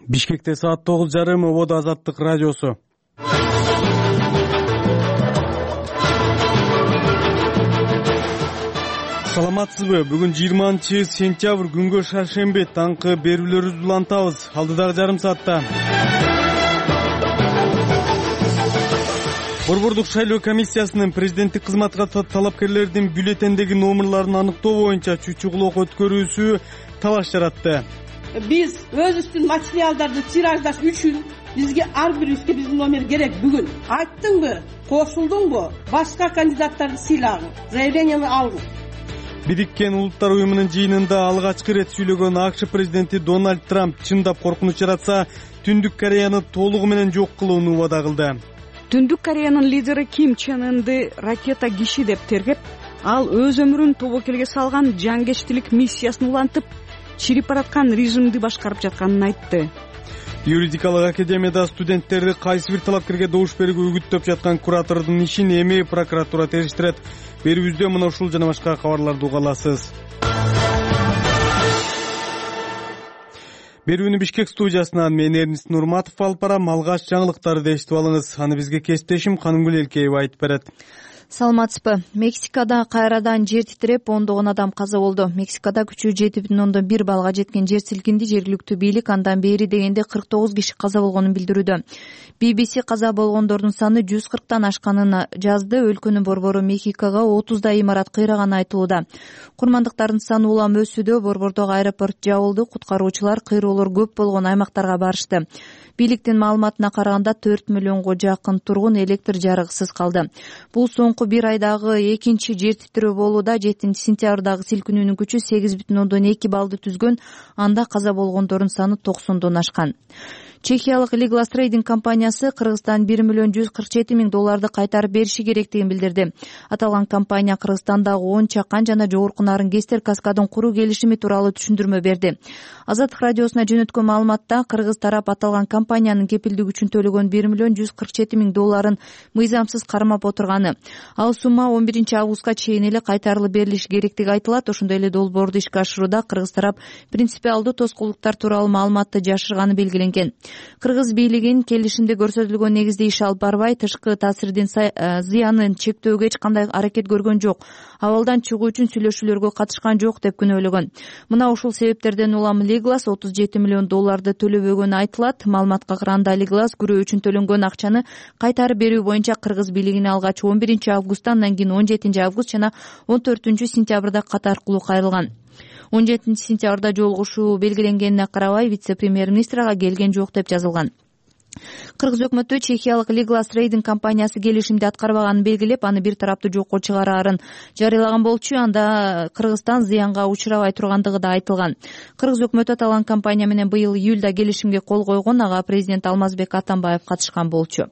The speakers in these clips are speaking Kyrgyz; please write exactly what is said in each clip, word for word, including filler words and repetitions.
Бишкекте саат тогуз жарым ободо Азаттык радиосу. Саламатсызбы? Бүгүн жыйырманчы сентябрь күнгө шаршемби таңкы берүүлөрүбүздү улантабыз. Алдыдагы жарым саатта Борбордук шайлоо комиссиясынын президенттик кызматка талапкерлердин бюллетендеги номерларын аныктоо боюнча чүчү-кулок өткөрүүсү талаш жаратты. Биз өзүбүздүн материалдарды тираждаш үчүн бизге ар бирибизге биздин номер керек. Бүгүн айттыңбы, кошулдуңбу, башка кандидаттарды сыйлагын, заявленияны алгын. Бириккен Улуттар уюмунун жыйынында алгачкы ирет сүйлөгөн АКШ президенти Дональд Трамп чындап коркунуч жаратса, Түндүк Кореяны толугу менен жок кылууну убада кылды. Түндүк Кореянын лидери Ким Чен Ынды ракета киши деп тергеп, ал өз өмүрүн тобокелге салган жангечтилик миссиясын улантып, чирип бараткан режимди башкарып жатканын айтты. Юридикалык академияда студенттерди кайсы бир талапкерге добуш берүүгө үгүттөп жаткан куратордун ишин эми прокуратура териштирет. Берүүбүздө мына ушул жана башка кабарларды уга аласыз. Берүүнү Бишкек студиясынан мен Эрнист Нурматов алып барам. Алгач жаңылыктарды эшитип алыңыз. Аны бизге кесиптешим Канымгүл Элкеева айтып берет. Саламатсызбы? Мексикада кайрадан жер титиреп ондогон адам каза болду. Мексикада күчү жети бүтүн ондон бир балга жеткен жер силкинди. Жергиликтүү бийлик андан бери дегенде кырк тогуз киши каза болгонун билдирүүдө. би би си каза болгондордун саны жүз кырктан ашканын жазды. Өлкөнүн борбору Мехикого отуздай имарат кыйраганы айтылууда. Курмандыктардын саны улам өсүүдө. Борбордогу аэропорт жабылды. Куткаруучулар кыйроолор көп болгон аймактарга барышты. Бийликтин маалыматына караганда төрт миллионго жакын тургун электр жарыгысыз калды. Бул соңку бир айдагы экинчи жер титирөө болууда. жетинчи сентябрдагы силкинүүнүн күчү сегиз бүтүн ондон эки баллды түзгөн. Анда каза болгондордун саны токсондон ашкан. Чехиялык Liglas Trading компаниясы Кыргызстан бир миллион жүз кырк жети миң долларды кайтарып бериши керектигин билдирди. Аталган компания Кыргызстандагы он чакан жана жогорку Нарынгестер каскадын куруу келишими тууралуу түшүндүрмө берди. Азаттык радиосуна жөнөткөн маалыматта Кыргыз тарап аталган компаниянын кепилдик үчүн төлөгөн бир миллион жүз кырк жети миң долларын мыйзамсыз кармап отурганы. Ал сумма он биринчи августка чейин эле кайтарылып берилиши керектиги айтылат. Ошондой эле долбоорду ишке ашырууда Кыргыз тарап принципиалдуу тоскоолдуктар тууралуу маалыматты жашырганы белгиленген. Кыргыз бийлигин келишимде көрсөтүлгөн негизде иш алып барбай, тышкы таасирдин зыянын чектөөгө эч кандай аракет көргөн жок. Абалдан чыгуу үчүн сүйлөшүүлөргө катышкан жок деп күнөөлөгөн. Мына ушул себептерден улам Liglas отуз жети миллион долларды төлөбөгөнү айтылат. Маалыматка караганда Liglas күрөө үчүн төлөнгөн акчаны кайтарып берүү боюнча Кыргыз бийлигине алгач он биринчи августта, андан кийин он жетинчи август жана он төртүнчү сентябрда кат аркылуу кайрылган. он жетинчи сентябрда жолугушуу белгиленгенине карабай вице-премьер-министр ага келген жок деп жазылган. Кыргыз өкмөтү Чехиялык Liglas Trading компаниясы келишимди аткарбаганын белгилеп, аны бир тараптуу жокко чыгараарын жарыялаган болчу. Анда Кыргызстан зыянга учурабай тургандыгы да айтылган. Кыргыз өкмөтү аталган компания менен быйыл июлда келишимге кол койгон. Ага президент Алмазбек Атамбаев катышкан болчу.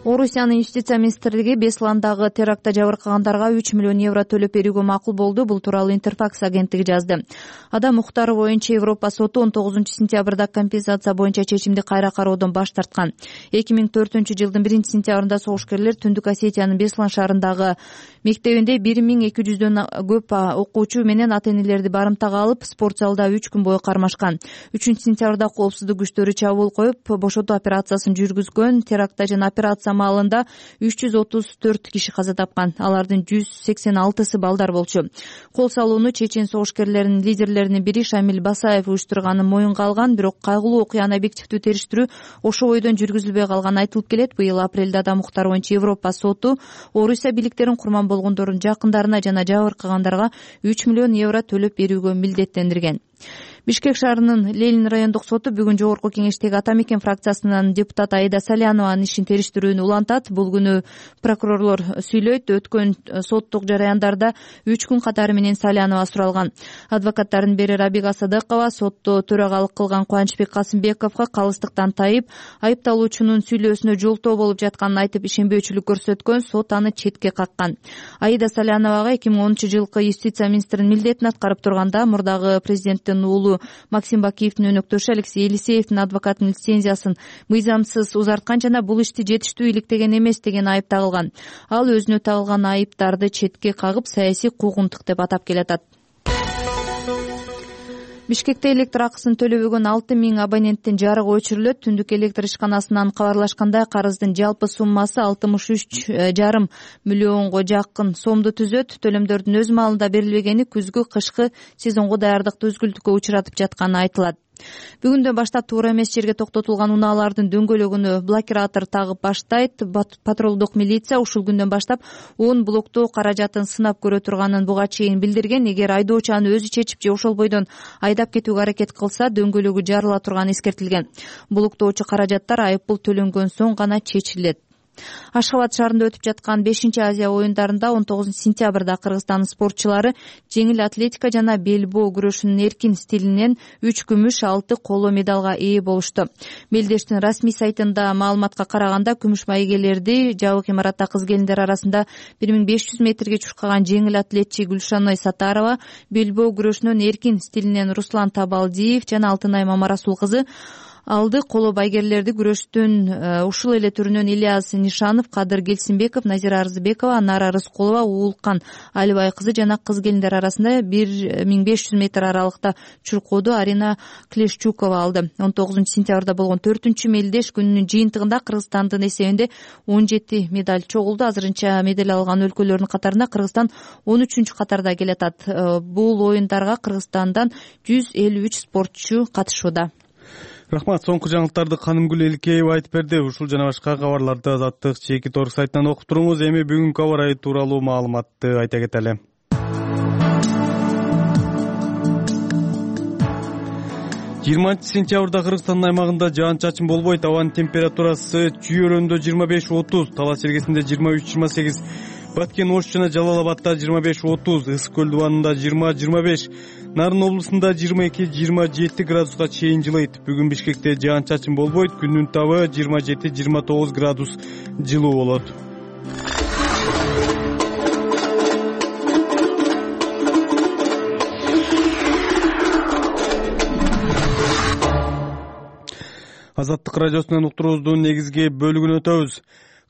Орусиянын юстиция министрлиги Бесландагы терактта жабыркагандарга үч миллион евро төлөп берүүгө макул болду. Бул тууралуу Интерфакс агенттиги жазды. Адам укуктары боюнча Европа соту он тогузунчу сентябрда компенсация боюнча чечимди кайра кароодон баш тарткан. эки миң төртүнчү жылдын биринчи сентябрында согушкерлер Түндүк Осетиянын Беслан шаарындагы мектебинде бир миң эки жүздөн көп окуучу менен ата-энелерди барымтага алып, спорт залда үч күн бою кармашкан. үчүнчү сентябрда коопсуздук күчтөрү чабуул коюп, бошотуу операциясын жүргүзгөн. Терактта жана операция маалында үч жүз отуз төрт киши каза тапкан. Алардын жүз сексен алтысы балдар болчу. Кол салууну чечен согушкерлеринин лидерлеринин бири Шамил Басаев уюштурганын моюнга алган. Бирок кайгылуу окуяны объективдүү териштирүү ошо бойдон жүргүзүлбөй калганы айтылып келет. Быйыл апрелде адам укуктары боюнча Европа соту Орусия бийликтерин курман болгондордун жакындарына жана жабыркагандарга үч миллион евро төлөп берүүгө милдеттендирген. Бишкек шаарынын Ленин райондук соту бүгүн жогорку кеңештеги Ата Мекен фракциясынын депутаты Аида Салянованын ишин териштирүүнү улантат. Бул күнү прокурорлор сүйлөйт. Өткөн соттук жараяндарда үч күн катары менен Салянова суралган. Адвокаттардын бири Рабига Садыкова сотто төрагалык кылган Кубанычбек Касымбековго калыстыктан тайып, айыпталуучунун сүйлөөсүнө жолтоо болуп жатканын айтып ишенбөөчүлүк көрсөткөн. Сот аны четке каккан. Аида Саляновага эки миң онунчу жылкы юстиция министринин милдетин аткарып турганда мурдагы президенттин уулу Максим Бакиевдин өнөктөшү Алексей Елисеевдин адвокатынын лицензиясын мыйзамсыз узарткан жана бул ишти жетиштүү иликтеген эмес деген айып тагылган. Ал өзүнө тагылган айыптарды четке кагып, саясий куугунтук деп атап келатат. Бишкекте электр акысын төлөбөгөн алты миң абоненттин жарыгы өчүрүлөт. Түндүк электр ишканасынан кабарлашкандай, карыздын жалпы суммасы алтымыш үч жарым миллионго жакын сомду түзөт. Төлөмдөрдүн өз маалында берилбегени күзгү кышкы сезонго даярдыкты үзгүлтүккө учуратып жатканы айтылат. Бүгүндөн баштап туура эмес жерге токтотулган унаалардын дөңгөлөгүнө блокиратор тагып баштайт. Патрулдук милиция ушул күндөн баштап он блоктоо каражатын сынап көрө турганын буга чейин билдирген. Эгер айдоочу аны өзү чечип же ошол бойдон айдап кетүүгө аракет кылса, дөңгөлөгү жарыла турганы эскертилген. Блоктоочу каражаттар айыппул төлөнгөн соң гана чечилет. Ашхабад шаарында өтүп жаткан бешинчи Азия оюндарында он тогузунчу сентябрда Кыргызстандын спортчулары жеңил атлетика жана белбоо күрөшүнүн эркин стилинен үч күмүш, алты коло медалга ээ болушту. Мелдештин расмий сайтында маалыматка караганда, күмүш байгелерди жабык имаратта кыз-келиндер арасында бир миң беш жүз метрге чуркаган жеңил атлетчи Гүлшаной Сатарова, белбоо күрөшүнөн эркин стилинен Руслан Табалдиев жана Алтынай Мамарасул кызы алды. Коло байгерлерди күрөштүн ушул эле түрүнөн Ильяс Нишанов, Кадыр Келсинбеков, Назира Арзыбекова, Нара Рыскулова, Уулкан Алибай кызы жана кыз-келиндер арасында бир миң беш жүз метр аралыкта чуркооду Арина Клешчукова алды. он тогузунчу сентябрда болгон төртүнчү мелдеш күнүнүн жыйынтыгында Кыргызстандын эсебинде он жети медаль чогулду. Азырынча медаль алган өлкөлөрдүн катарында Кыргызстан он үчүнчү катарда келатат. Бул оюндарга Кыргызстандан жүз элүү үч спортчу катышууда. Рахмат. Соңку жаңылыктарды Канымгүл Эликеева айтып берди. Ушул жана башка кабарларды Азаттык чеки торг сайтынан окуп туруңуз. Эми бүгүнкү аба ырайы тууралуу маалыматты айта кетели. жыйырманчы сентябрда Кыргызстандын аймагында жаан-чачын болбойт. Абанын температурасы Чүй-Өрөндө жыйырма беш отуз, Талас Чергесинде жыйырма үч жыйырма сегиз, Баткен Ош жана Жалал-Абадда жыйырма беш отуз, Ысык көл дубанында жыйырма жыйырма беш, Нарын облусунда жыйырма эки жыйырма жети градуска чейин жылыйт. Бүгүн Бишкекте жаан-чачын болбойт. Күндүн табы жыйырма жети жыйырма тогуз градус жылуу болот. Азаттык радиосунан уктуруубуздун негизги бөлүгүнө өтөбүз.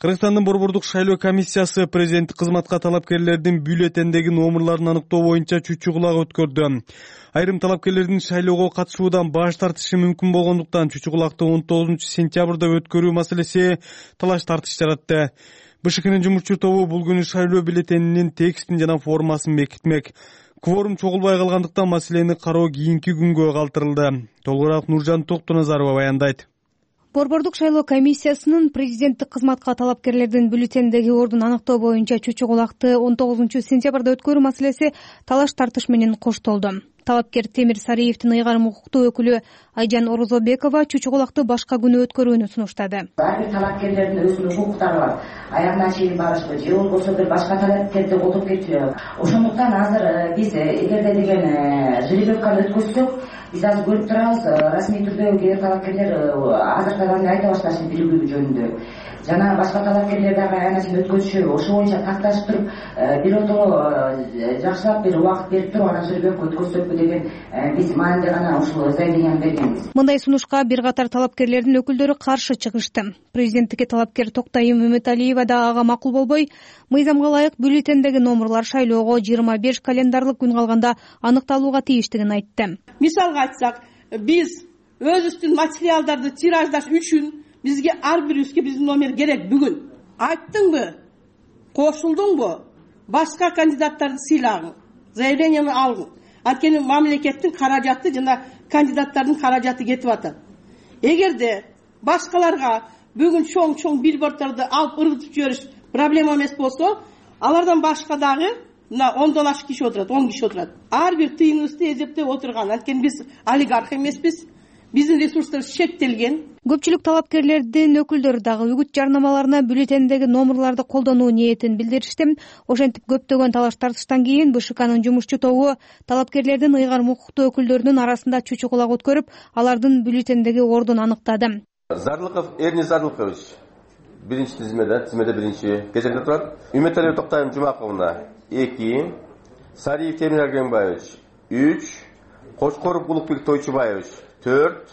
Кыргызстандын Борбордук шайлоо комиссиясы президенттик кызматка талапкерлердин бюллетендеги номерларын аныктоо боюнча чүчү кулак өткөрдү. Айрым талапкерлердин шайлоого катышуудан баш тартышы мүмкүн болгондуктан чүчү кулакты он тогузунчу сентябрда өткөрүү маселеси талаш тартыш жаратты. БШКнын жумушчу тобу бул күнү шайлоо бюллетенинин текстин жана формасын бекитмек. Кворум чогулбай калгандыктан маселени кароо кийинки күнгө калтырылды. Толугураак Нуржан Токтоназарова баяндайт. Борбордук шайлоо комиссиясынын президенттик кызматка талапкерлердин бюллетендеги ордун аныктоо боюнча чүчү кулакты он тогузунчу сентябрда өткөрүү маселеси талаш тартыш менен коштолду. Талапкер Темир Сариевдин ыйгарым укуктуу өкүлү Айжан Орозобекова чүчү кулакты башка күнү өткөрүүнү сунуштады. Ар бир талапкерлердин өзүнүн укуктары бар. Аягына чейин барышпы, же болбосо бир башка талапкерди колдоп кетпи. Ошондуктан азыр биз эгерде деген жеребканы өткөзсөк, биз азыр көрүп турабыз, расмий түрдө кээ бир талапкерлер азыртаган айта башташты биригүү жөнүндө. Жана башка талапкерлер дагы аянасин өткөзүшү, ошо боюнча такташып туруп, бир отоло жакшылап бир убакыт берип туруп, анан жеребка өткөзсөкпү деген биз маанилде гана ушул заявленияны бергенбиз. Мындай сунушка бир катар талапкерлердин өкүлдөрү каршы чыгышты. Президенттикке талапкер Токтайым Үмүталиева да ага макул болбой, мыйзамга ылайык бюллетендеги номерлар шайлоого жыйырма беш календарлык күн калганда аныкталууга тийиштигин айтты. Мисалга айтсак, биз өзүбүздүн материалдарды тираждаш үчүн бизге ар бирибизге биздин номер керек. Бүгүн айттыңбы, кошулдуңбу, башка кандидаттарды сыйлагың, заявленияны алгың. Анткени мамлекеттин каражаты жана кандидаттардын каражаты кетип атат. Эгерде башкаларга бүгүн чоң-чоң билбордторду алып ыргытып жибериш проблема эмес болсо, алардан башка дагы мына ондон ашык киши отурат, он киши отурат. Ар бир тыйыныбызды эзептеп отурган. Анткени биз олигарх эмеспиз. Биздин ресурстарыбыз чектелген. Көпчүлүк талапкерлердин өкүлдөрү дагы үгүт жарнамаларына бюллетендеги номерларды колдонуу ниетин билдиришти. Ошентип көптөгөн талаш тартыштан кийин БШКнын жумушчу тобу талапкерлердин ыйгарым укуктуу өкүлдөрүнүн арасында чүчү кулак өткөрүп, алардын бюллетендеги ордун аныктады. Зарлыков Эрни Зарлыкович биринчи тизмеде, тизмеде биринчи кезекте турат. Үмүталиев Токтайым Жумаковна эки, Сариев Темир Аргенбаевич үч, Кочкоров Улукбек Тойчубаевич төрт,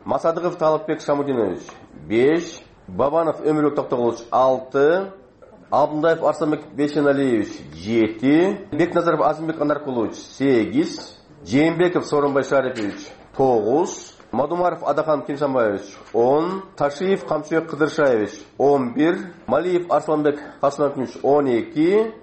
Масадыков Талапбек Шамудинович беш, Бабанов Өмүрбек Токтогулович алты, Абдулдаев Арсанбек Бешеналиевич жети, Бекназаров Азимбек Анаркулович сегиз, Жээнбеков Сооронбай Шарипович тогуз, Мадумаров Адахан Киншанбаевич он, Ташиев Камчыбек Кыдыршаевич он бир, Малиев Арсланбек Касымович он эки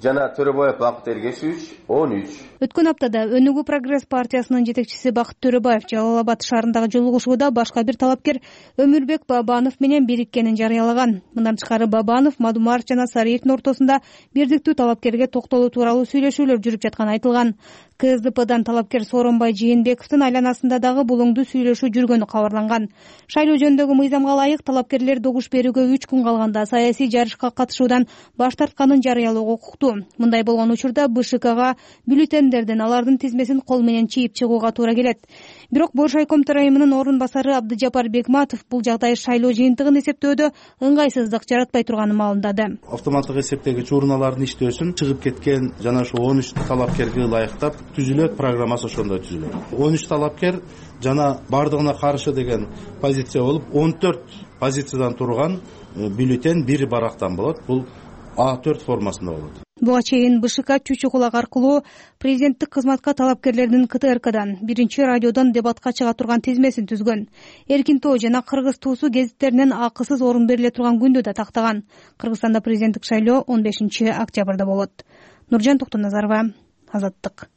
жана Төрөбаев Бакыт Эргешевич он үч. Өткөн аптада Өнүгүү Прогресс партиясынын жетекчиси Бакыт Төрөбаев Жалал Абад шаарындагы жолугушууда башка бир талапкер Өмүрбек Бабанов менен бириккенин жарыялаган. Мындан тышкары Бабанов Мадумаров жана Сариевдин ортосунда бирдиктүү талапкерге токтолуу тууралуу сүйлөшүүлөр жүрүп жатканы айтылган. КСДПдан талапкер Сооронбай Жээнбековдун айланасында дагы булуңдуу сүйлөшүү жүргөнү кабарланган. Шайлоо жөнүндөгү мыйзамга ылайык талапкерлер добуш берүүгө үч күн калганда саясий жарышка катышуудан баш тартканын жарыялоого укуктуу. Мындай болгон учурда БШКга бюллетендердин алардын тизмесин кол менен чийип чыгууга туура келет. Бирок Боршайком төрайымынын орун басары Абдыжапар Бекматов бул жагдай шайлоо жыйынтыгын эсептөөдө ыңгайсыздык жаратпай турганын маалымдады. Автоматтык эсептегич урналардын иштөөсүн чыгып кеткен жана ошо он үч талапкерге ылайыктап түзүлөт, программасы ошондой түзүлөт. он үч талапкер жана бардыгына каршы деген позиция болуп, он төрт позициядан турган бюллетень бир барактан болот. Бул А төрт формасында болот. Буга чейин БШК Чүчү Кулак аркылуу президенттик кызматка талапкерлердин КТРКдан биринчи радиодон дебатка чыга турган тизмесин түзгөн. Эркин тоо жана Кыргыз туусу гезиттеринен акысыз орун бериле турган күндү да тактаган. Кыргызстанда президенттик шайлоо он бешинчи октябрда болот. Нуржан Токтоназарова, Азаттык.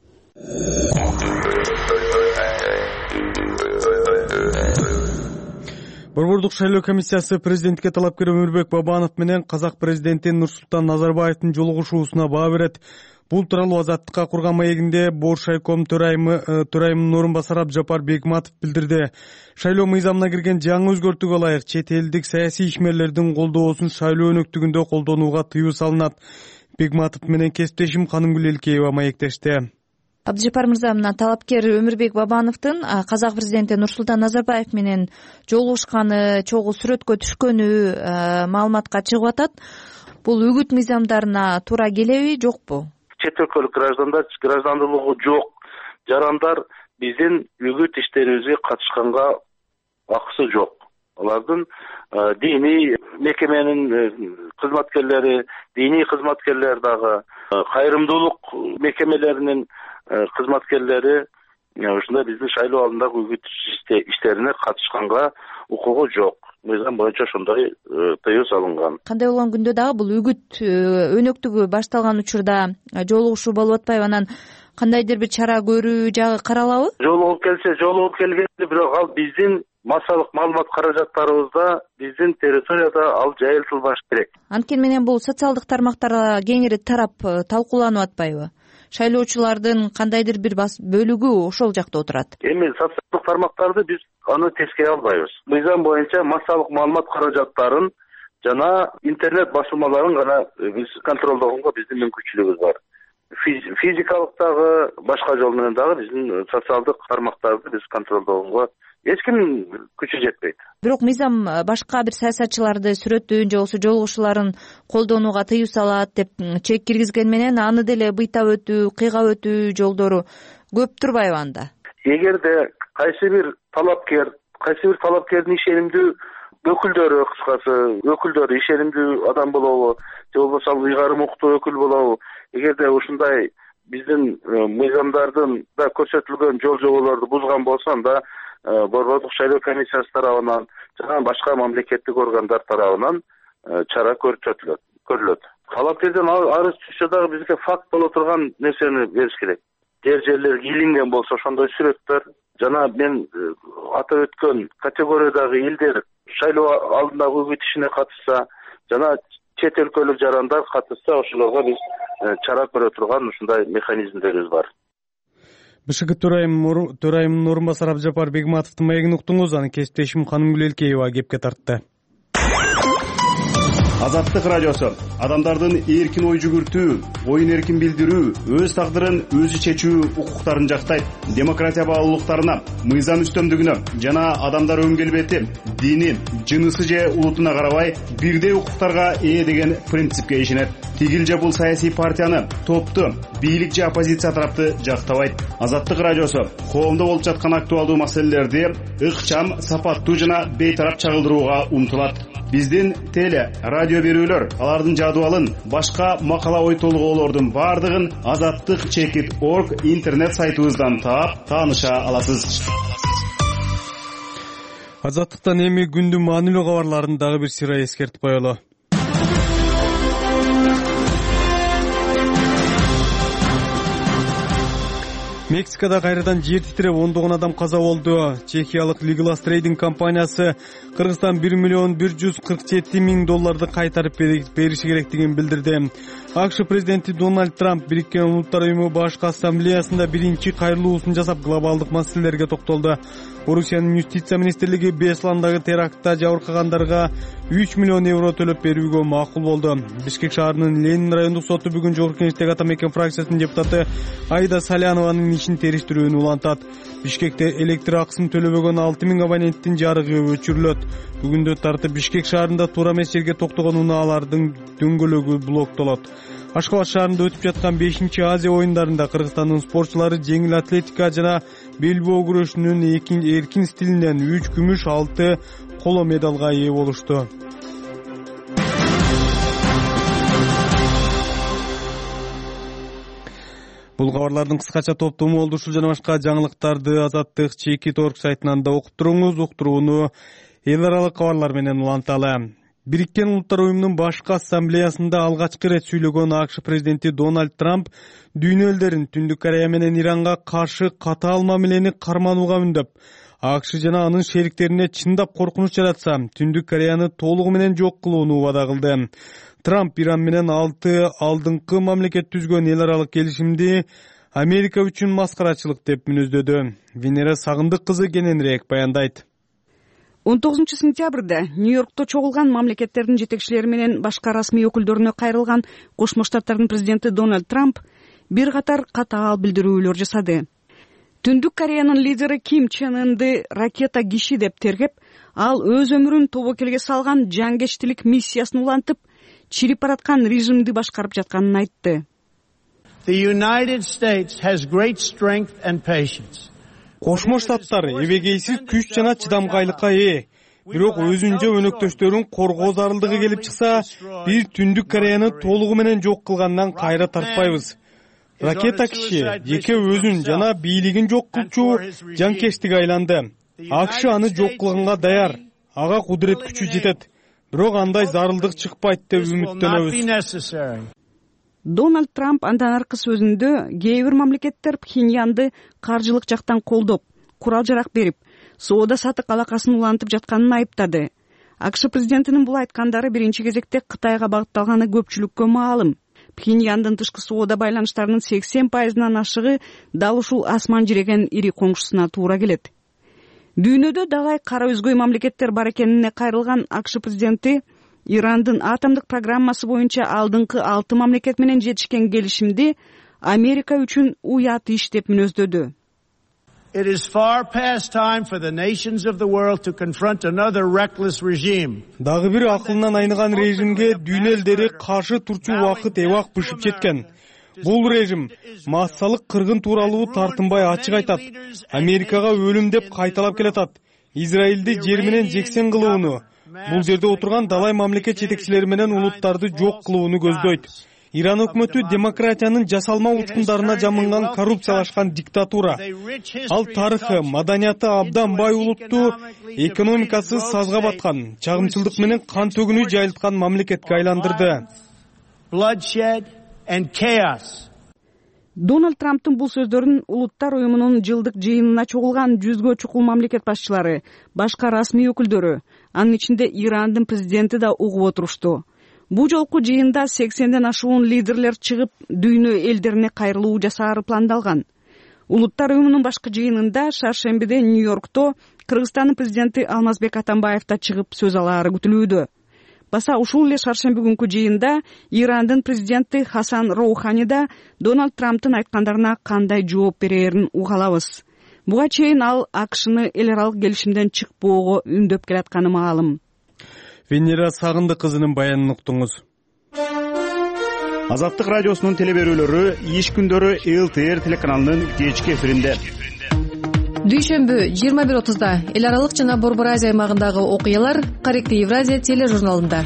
Борбордук шайлоо комиссиясы президентке талапкер Өмүрбек Бабанов менен казак президенти Нурсултан Назарбаевдин жолугушуусуна баа берет. Бул тууралуу Азаттыкка курган маегинде Боршайком төрайымы төрайымынын орун басары Абдыжапар Бекматов билдирди. Шайлоо мыйзамына кирген жаңы өзгөртүүгө ылайык чет элдик саясий ишмерлердин колдоосун шайлоо өнөктүгүндө колдонууга тыюу салынат. Бекматов менен кесиптешим Канымгүл Элкеева маектешти. Абдыжапар мырза, мына талапкер Өмүрбек Бабановдун казак президенти Нурсултан Назарбаев менен жолугушканы, чогуу сүрөткө түшкөнү маалыматка чыгып атат. Бул үгүт мыйзамдарына туура келеби, жокпу? Чет өлкөлүк граждандар, граждандуулугу жок жарандар биздин үгүт иштерибизге катышканга акысы жок. Алардын диний мекеменин кызматкерлери, диний кызматкерлер дагы, кайрымдуулук мекемелеринин кызматкерлери ушундай биздин шайлоо алдындагы үгүт иштерине катышканга укугу жок. Мыйзам боюнча ошондой тыюу салынган. Кандай болгон күндө дагы бул үгүт өнөктүгү башталган учурда жолугушуу болуп атпайбы, анан кандайдыр бир чара көрүү жагы каралабы? Жолугуп келсе, жолугуп келгенде, бирок ал биздин массалык маалымат каражаттарыбызда, биздин территорияда ал жайылтылбаш керек. Анткени менен бул социалдык тармактарга кеңири тарап талкууланып атпайбы? Шайлоочулардын кандайдыр бир бөлүгү ошол жакта отурат. Эми социалдык тармактарды биз аны тескере албайбыз. Мыйзам боюнча массалык маалымат каражаттарын жана интернет басылмаларын гана биз контролдогонго биздин мүмкүнчүлүгүбүз бар. Физикалык дагы, башка жол менен дагы биздин социалдык тармактарды биз контролдогонго эч ким күчү жетпейт. Бирок мыйзам башка бир саясатчыларды сүрөттүүн же болбосо жолугушууларын колдонууга тыюу салат деп чек киргизген менен аны деле быйтап өтүү, кыйгап өтүү жолдору көп турбайбы анда? Эгерде кайсы бир талапкер, кайсы бир талапкердин ишенимдүү өкүлдөрү, кыскасы өкүлдөрү ишенимдүү адам болобу, же болбосо ыйгарым укуктуу өкүл болобу, эгерде ушундай биздин мыйзамдардын да көрсөтүлгөн жол жоболорду бузган болсо, анда Борбордук шайлоо комиссиясы тарабынан жана башка мамлекеттик органдар тарабынан чара көрсөтүлөт, көрүлөт. Талапкерден арыз түшсө дагы бизге факт боло турган нерсени бериш керек. Жер жерлерге илинген болсо ошондой сүрөттөр жана мен атап өткөн категориядагы элдер шайлоо алдындагы үгүт ишине катышса жана чет өлкөлүк жарандар катышса, ошолорго биз чара көрө турган ушундай механизмдерибиз бар. БШК төрайымынын орун басары Абдыжапар Бекматовдун маегин уктуңуз, анын кесиптешим Канымгүл Элкеева кепке тартты. Азаттык радиосу адамдардын эркин ой жүгүртүү, оюн эркин билдирүү, өз тагдырын өзү чечүү укуктарын жактайт. Демократия баалуулуктарына, мыйзам үстөмдүгүнө жана адамдар өң келбети, дини, жынысы же улутуна карабай бирдей укуктарга ээ деген принципке ишенет. Тигил же бул саясий партияны, топту, бийлик же оппозиция тарапты жактабайт. Азаттык радиосу коомдо болуп жаткан актуалдуу маселелерди ыкчам, сапаттуу жана бейтарап чагылдырууга умтулат. Биздин теле, радио радио берүүлөр, алардын жадыбалын, башка макала ой толгоолордун баардыгын азаттык чекит орг интернет сайтыбыздан таап тааныша аласыз. Азаттыктан эми күндүн маанилүү кабарларын дагы бир сыйра эскертип коелу. Мексикада кайрадан жер титиреп ондогон адам каза болду. Чехиялык Legal Trading компаниясы Кыргызстан бир миллион бир жүз кырк жети миң долларды кайтарып бериши керектигин билдирди. АКШ президенти Дональд Трамп Бириккен Улуттар уюму башкы ассамблеясында биринчи кайрылуусун жасап, глобалдык маселелерге токтолду. Орусиянын юстиция министрлиги Бесландагы терактта жабыркагандарга үч миллион евро төлөп берүүгө макул болду. Бишкек шаарынын Ленин райондук соту бүгүн жогорку кеңештеги ата мекен фракциясынын депутаты Айда Салянованын ишин териштирүүнү улантат. Бишкекте электр акысын төлөбөгөн алты миң абоненттин жарыгы өчүрүлөт. Бүгүндө тартып Бишкек шаарында туура эмес жерге токтогон унаалардын дөңгөлөгү блоктолот. Ашкабад шаарында өтүп жаткан бешинчи Азия оюндарында Кыргызстандын спортчулары жеңил атлетика жана белбоо күрөшүнүн эркин стилинен үч күмүш, алты коло медалга ээ болушту. Бул кабарлардын кыскача топтому болду. Ушул жана башка жаңылыктарды Азаттык чекит орг сайтынан да окуп туруңуз. Уктурууну эл аралык кабарлар менен уланталы. Бириккен Улуттар уюмунун башкы ассамблеясында алгачкы ирет сүйлөгөн АКШ президенти Дональд Трамп дүйнө элдерин Түндүк Корея менен Иранга каршы катаал мамилени карманууга үндөп, АКШ жана анын шериктерине чындап коркунуч жаратса, Түндүк Кореяны толугу менен жок кылууну убада кылды. Трамп Иран менен алты алдыңкы мамлекет түзгөн эл аралык келишимди Америка үчүн маскарачылык деп мүнөздөдү. Венера Сагындык кызы кененирээк баяндайт. он тогузунчу сентябрда Нью-Йоркто чогулган мамлекеттердин жетекчилери менен башка расмий өкүлдөрүнө кайрылган Кошмо Штаттардын президенти Дональд Трамп бир катар катаал билдирүүлөр жасады. Түндүк Кореянын лидери Ким Чен Ынды ракета киши деп тергеп, ал өз өмүрүн тобокелге салган жангечтилик миссиясын улантып, чирип бараткан режимди башкарып жатканын айтты. The United States has great strength and patience. Кошмо Штаттар эбегейсиз күч жана чыдамкайлыкка ээ. Бирок өзүнчө өнөктөштөрүн коргоо зарылдыгы келип чыкса, бир Түндүк Кореяны толугу менен жок кылгандан кайра тартпайбыз. Ракета киши жеке өзүн жана бийлигин жок кылчу жанкечтиге айланды. АКШ аны жок кылганга даяр. Ага кудурет күчү жетет. Бирок андай зарылдык чыкпайт деп үмүттөнөбүз. Дональд Трамп андан аркы сөзүндө кээ бир мамлекеттер Пхеньянды каржылык жактан колдоп, курал жарак берип, соода сатык алакасын улантып жатканын айыптады. АКШ президентинин бул айткандары биринчи кезекте Кытайга багытталганы көпчүлүккө маалым. Пхеньяндын тышкы соода байланыштарынын сексен пайызынан ашыгы дал ушул асман жиреген ири коңшусуна туура келет. Дүйнөдө далай кара өзгөй мамлекеттер бар экенине кайрылган АКШ президенти Ирандын атомдук программасы боюнча алдыңкы алты мамлекет менен жетишкен келишимди Америка үчүн уят иш деп мүнөздөдү. It is far past time for the nations of the world to confront another reckless regime. Дагы бир акылынан айныган режимге дүйнө элдери каршы турчу убакыт эбак бышып жеткен. Бул режим массалык кыргын тууралуу тартынбай ачык айтат. Америкага өлүм деп кайталап келатат. Израилди жер менен жексен кылууну, бул жерде отурган далай мамлекет жетекчилери менен улуттарды жок кылууну көздөйт. Иран өкмөтү демократиянын жасалма учкундарына жамынган коррупциялашкан диктатура. Ал тарыхы, маданияты абдан бай улутту, экономикасы сазга баткан, чагымчылдык менен кан төгүнү жайылткан мамлекетке айландырды. Дональд Трамптын бул сөздөрүн Улуттар уюмунун жылдык жыйынына чогулган жүзгө чукул мамлекет башчылары, башка расмий өкүлдөрү, анын ичинде Ирандын президенти да угуп отурушту. Бу жолку жыйында сексенден ашуун лидерлер чыгып, дүйнө элдерине кайрылуу жасаары пландалган. Улуттар уюмунун башкы жыйынында шаршембиде Нью-Йоркто Кыргызстандын президенти Алмазбек Атамбаев да чыгып сөз алаары күтүлүүдө. Баса ушул эле шаршемби күнкү жыйында Ирандын президенти Хасан Роухани да Дональд Трамптын айткандарына кандай жооп берээрин угалабыз. Буга чейин ал АКШны эл аралык келишимден чыкпоого үндөп келатканы маалым. Венера Сагындык кызынын баянын уктуңуз. Азаттык радиосунун телеберүүлөрү иш күндөрү эл тэ эр телеканалынын кечки эфиринде. Дүйшөмбү жыйырма бир отузда эл аралык жана Борбор Азия аймагындагы окуялар Корректив Евразия тележурналында.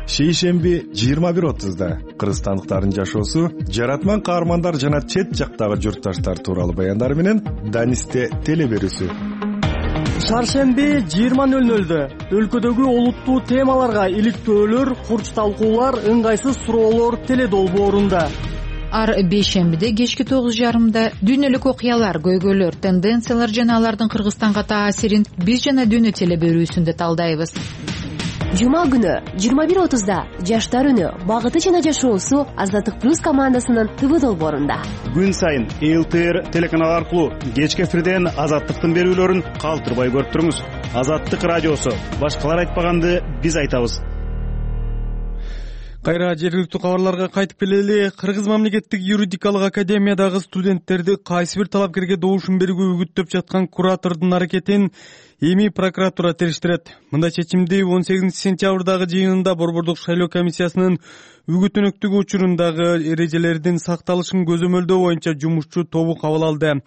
шейшемби жыйырма бир отузда кыргызстандыктардын жашоосу, жаратман каармандар жана чет жактагы журтташтар тууралуу баяндары менен Данисте теле берүүсү. Шаршемби жыйырма нөл нөлдө өлкөдөгү олуттуу темаларга иликтөөлөр, курч талкуулар, ыңгайсыз суроолор теле долбоорунда. Ар бейшембиде кечки тогуз жарымда дүйнөлүк окуялар, көйгөйлөр, тенденциялар жана алардын Кыргызстанга таасирин биз жана дүйнө теле берүүсүндө талдайбыз. Жума күнү жыйырма бир отузда жаштар үнү, багыты жана жашоосу Азаттык плюс командасынын ТВ долбоорунда. Күн сайын Эл Т Р телеканалы аркылуу кечки эфирден Азаттыктын берүүлөрүн калтырбай көрүп туруңуз. Азаттык радиосу, башкалар айтпаганды биз айтабыз. Кайра жергиликтүү кабарларга кайтып келели. Кыргыз мамлекеттик юридикалык академиядагы студенттерди кайсы бир талапкерге добушун берүүгө үгүттөп жаткан куратордун аракетин эми прокуратура териштирет. Мындай чечимди он сегизинчи сентябрдагы жыйынында Борбордук шайлоо комиссиясынын үгүт өнөктүгү учурундагы эрежелердин сакталышын көзөмөлдөө боюнча жумушчу тобу кабыл алды.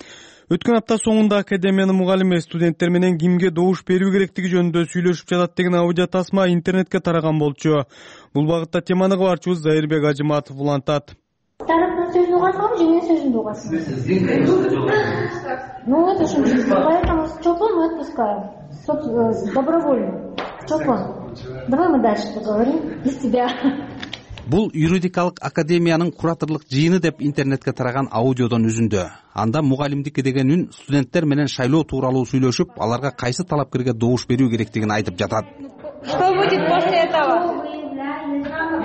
Өткөн апта соңунда академиянын мугалими студенттер менен кимге добуш берүү керектиги жөнүндө сүйлөшүп жатат деген аудио тасма интернетке тараган болчу. Бул багытта теманы кабарчыбыз Зайырбек Ажыматов улантат. Тараптын сөзүн угасыңбы же менин сөзүмдү угасыңбы? Ну это же поэтому Чолпон мы отпускаем. Добровольно. Чолпон, давай мы дальше поговорим без тебя. Бул юридикалык академиянын кураторлук жыйыны деп интернетке тараган аудиодон үзүндө. Анда мугалимдики деген үн студенттер менен шайлоо тууралуу сүйлөшүп, аларга кайсы талапкерге добуш берүү керектигин айтып жатат. Что будет после этого?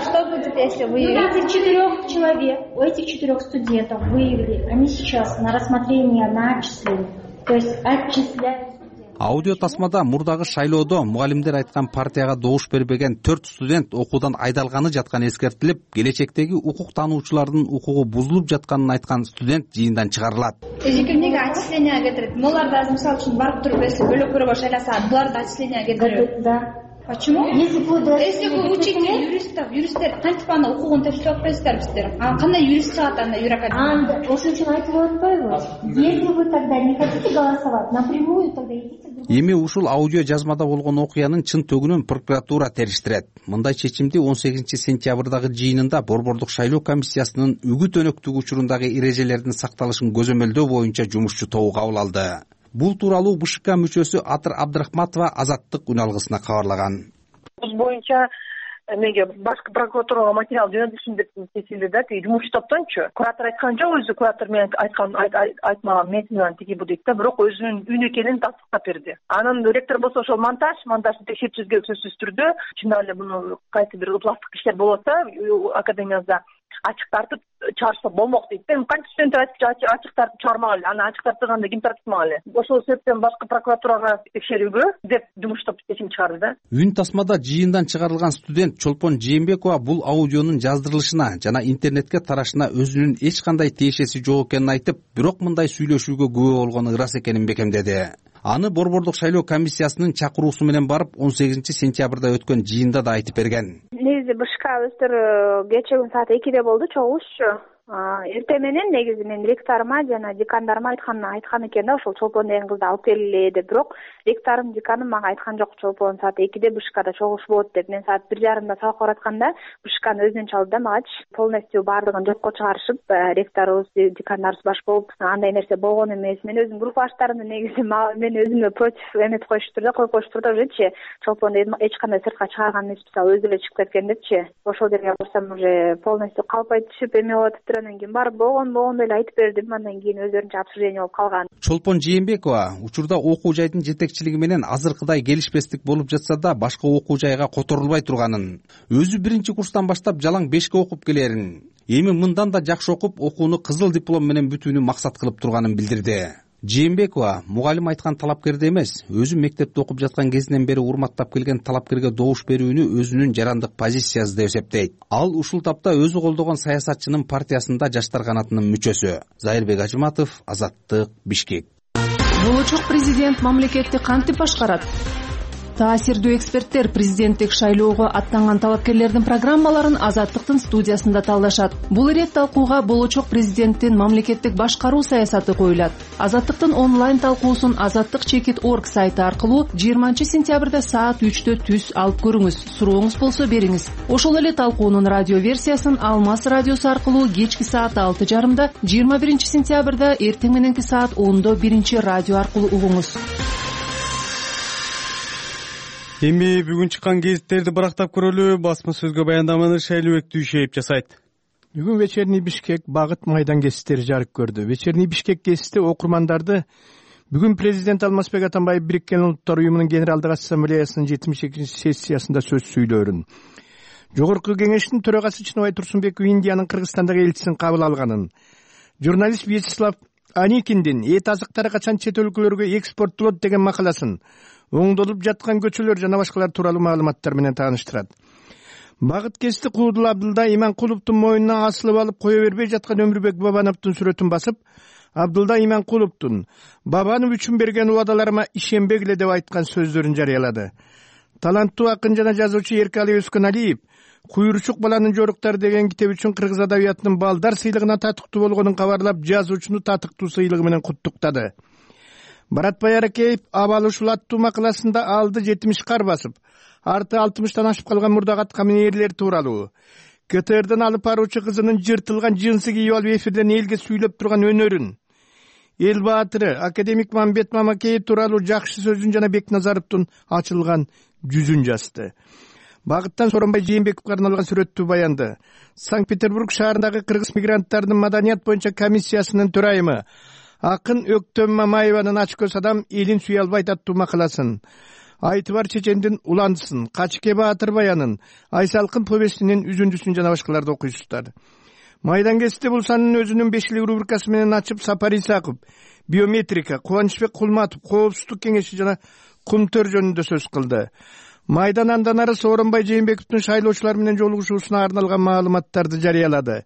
Что будет, если вы этих четырех человек, у этих четырех студентов выявили, они сейчас на рассмотрение на отчисление, то есть отчисляют. Аудио тасмада мурдагы шайлоодо мугалимдер айткан партияга добуш бербеген төрт студент окуудан айдалганы жатканы эскертилип, келечектеги укук таануучулардын укугу бузулуп жатканын айткан студент жыйындан чыгарылат. Эже кимге отчисление кетирет? Булар да мисалы үчүн барып туруп эси бөлөк бирөөгө шайласа, булар да отчисление кетирет. Да. Почему? Если вы если вы учите юристов, юристтер кантип аны укугун текшерип атпайсыздар биздер? А кандай юрист чыгат анда юракадемия? Ошон үчүн айтып атпайбы? Если вы тогда не хотите голосовать напрямую, тогда идите. Эми ушул аудио жазмада болгон окуянын чын төгүнүн прокуратура териштирет. Мындай чечимди он сегизинчи сентябрдагы жыйынында Борбордук шайлоо комиссиясынын үгүт өнөктүгү учурундагы эрежелердин сакталышын көзөмөлдөө боюнча жумушчу тобу кабыл алды. Бул тууралуу Б Ш К мүчөсү Атыр Абдрахматова Азаттык үн алгысына кабарлаган. Бул боюнча эмеге башкы прокуратурага материал жөнөтүлсүн деп чечилди да, тиги жумуш топтончу. Куратор айткан жок, өзү куратор менен айткан айтмаган методунан тиги бу дейт да, бирок өзүнүн үн экенин тастыктап берди. Анан ректор болсо ошол монтаж, монтажды текшерип жүргөн сөзсүз түрдө чын эле муну кайсы бир ыпластык иштер болот да, академиябызда ачык тартып чыгарса болмок дейт да. Канча студенттер айтып ачык тартып чыгармак эле, аны ачык тартырганда ким тартмак эле. Ошол себептен башкы прокуратурага текшерүүгө деп жумуш топ чечим чыгарды да. Үн тасмада жыйындан чыгарылган студент Чолпон Жээнбекова бул аудионун жаздырылышына жана интернетке тарашына өзүнүн эч кандай тиешеси жок экенин айтып, бирок мындай сүйлөшүүгө күбө болгону ырас экенин бекемдеди. Аны Борбордук шайлоо комиссиясынын чакыруусу менен барып он сегизинчи сентябрда өткөн жыйында да айтып берген. Негизи Б Ш К өздөрү кечээ күн саат экиде болду чогулушчу. Эртең менен негизи мен ректорума жана декандарыма айткан айткан экен да, ошол Чолпон деген кызды алып келгиле деп, бирок ректорум, деканым мага айткан жок, Чолпон саат экиде Б Ш Кда чогулуш болот деп. Мен саат бир жарымда сабак баратканда Б Ш Кны өзүнөн чалды да, магачы полностью баардыгын жокко чыгарышып, ректорубуз, декандарыбыз баш болуп, андай нерсе болгон эмес. Мен өзүм группаштарымды негизи мен өзүмө против эметип коюштур да, коюп коюштур да, ужечи Чолпон эч кандай сыртка чыгарган эмес, мисалы өзү эле чыгып кеткен депчи. Ошол жерге барсам уже полностью калпай түшүп эме болуп атыптыр. Анан кийин барып болгон болгондой эле айтып бердим. Андан кийин өздөрүнчө обсуждение болуп калган. Чолпон Жээнбекова учурда окуу жайдын жетекчилиги менен азыркыдай келишпестик болуп жатса да, башка окуу жайга которулбай турганын, өзү биринчи курстан баштап жалаң бешке окуп келерин, эми мындан да жакшы окуп, окууну кызыл диплом менен бүтүүнү максат кылып турганын билдирди. Жээнбекова мугалим айткан талапкерди эмес, өзү мектепте окуп жаткан кезинен бери урматтап келген талапкерге добуш берүүнү өзүнүн жарандык позициясы деп эсептейт. Ал ушул тапта өзү колдогон саясатчынын партиясында жаштар канатынын мүчөсү. Зайырбек Ажыматов, Азаттык, Бишкек. Болочок президент мамлекетти кантип башкарат? Таасирдүү эксперттер президенттик шайлоого аттанган талапкерлердин программаларын Азаттыктын студиясында талдашат. Бул ирет талкууга болочок президенттин мамлекеттик башкаруу саясаты коюлат. Азаттыктын онлайн талкуусун азаттык чекит точка орг сайты аркылуу жыйырманчы сентябрда саат үчтө түз алып көрүңүз. Сурооңуз болсо бериңиз. Ошол эле талкуунун радио версиясын Алмаз радиосу аркылуу кечки саат алты жарымда, жыйырма биринчи сентябрда эртең мененки саат ондо биринчи радио аркылуу угуңуз. Эми бүгүн чыккан гезиттерди барактап көрөлү. Басма сөзгө баяндаманы Шайлообек Дүйшеев жасайт. Бүгүн Вечерний Бишкек багыт майдан гезиттери жарык көрдү. Вечерний Бишкек гезити окурмандарды бүгүн президент Алмазбек Атамбаев Бириккен Улуттар уюмунун Генералдык ассамблеясынын жетимиш экинчи сессиясында сөз сүйлөөрүн, Жогорку кеңештин төрагасы Чыныбай Турсунбеков Индиянын Кыргызстандагы элчисин кабыл алганын, журналист Вячеслав Аникиндин эт азыктары качан чет өлкөлөргө экспорттолот деген макаласын, оңдолуп жаткан көчөлөр жана башкалар тууралуу маалыматтар менен тааныштырат. Багыт гезити Куудул Абдылда Иманкуловдун мойнуна асылып алып кое бербей жаткан Өмүрбек Бабановдун сүрөтүн басып, Абдылда Иманкуловдун Бабанов үчүн берген убадаларыма ишенбегиле деп айткан сөздөрүн жарыялады. Таланттуу акын жана жазуучу Эркали Өскөналиев Куйручук баланын жоруктары деген китеби үчүн кыргыз адабиятынын балдар сыйлыгына татыктуу болгонун кабарлап, жазуучуну татыктуу сыйлыгы менен куттуктады. Баратбай Аракеев Абал ушул аттуу макаласында алды жетимиш кар басып, арты алтымыштан ашып калган мурдагат каминерлер тууралуу, КТРден алып баруучу кызынын жыртылган жынсы кийип алып эфирден элге сүйлөп турган өнөрүн, эл баатыры академик Мамбет Мамакеев тууралуу жакшы сөзүн жана Бекназаровдун ачылган жүзүн жазды. Багыттан Сооронбай Жээнбековго арналган сүрөттүү баянды Санкт-Петербург шаарындагы кыргыз мигранттарынын маданият боюнча комиссиясынын төрайымы Акын Өктөм Мамаеванын ачкөз адам элин сүйө албайт аттуу макаласын, Айтыбар Чечендин уландысын, Качке Баатыр баянын, Айсалкын повестинин үзүндүсүн жана башкаларды окуйсуздар. Майдан гезити бул санын өзүнүн бешилик рубрикасы менен ачып, Сапар Исаков, биометрика, Кубанычбек Кулматов, коопсуздук кеңеши жана кумтөр жөнүндө сөз кылды. Майдан андан ары Сооронбай Жээнбековдун шайлоочулар менен жолугушуусуна арналган маалыматтарды жарыялады.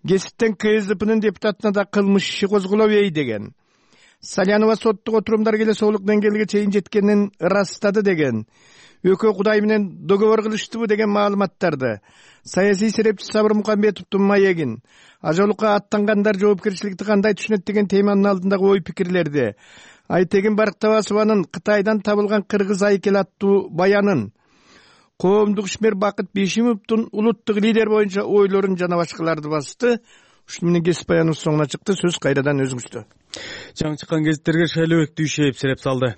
Гезиттен КСДПнын депутатына да кылмыш иши козголобой деген. Салянова соттук отурумдар келесоолук деңгээлге чейин жеткенин ырастады деген. Экөө Кудай менен договор кылыштыбы деген маалыматтарды. Саясий серепчи Сабыр Мукамбетовдун маегин, ажалыкка аттангандар жоопкерчиликти кандай түшүнөт деген теманын алдындагы ой пикирлерди. Айтегин Барктабасованын Кытайдан табылган кыргыз айкел аттуу баянын, коомдук ишмер Бакыт Бишимовдун улуттук лидер боюнча ойлорун жана башкаларды басты. Ушуну менен гезит баяныбыз соңуна чыкты. Сөз кайрадан өзүңүздө. Жаңы чыккан гезиттерге Шайлообек Дүйшеев сереп салды.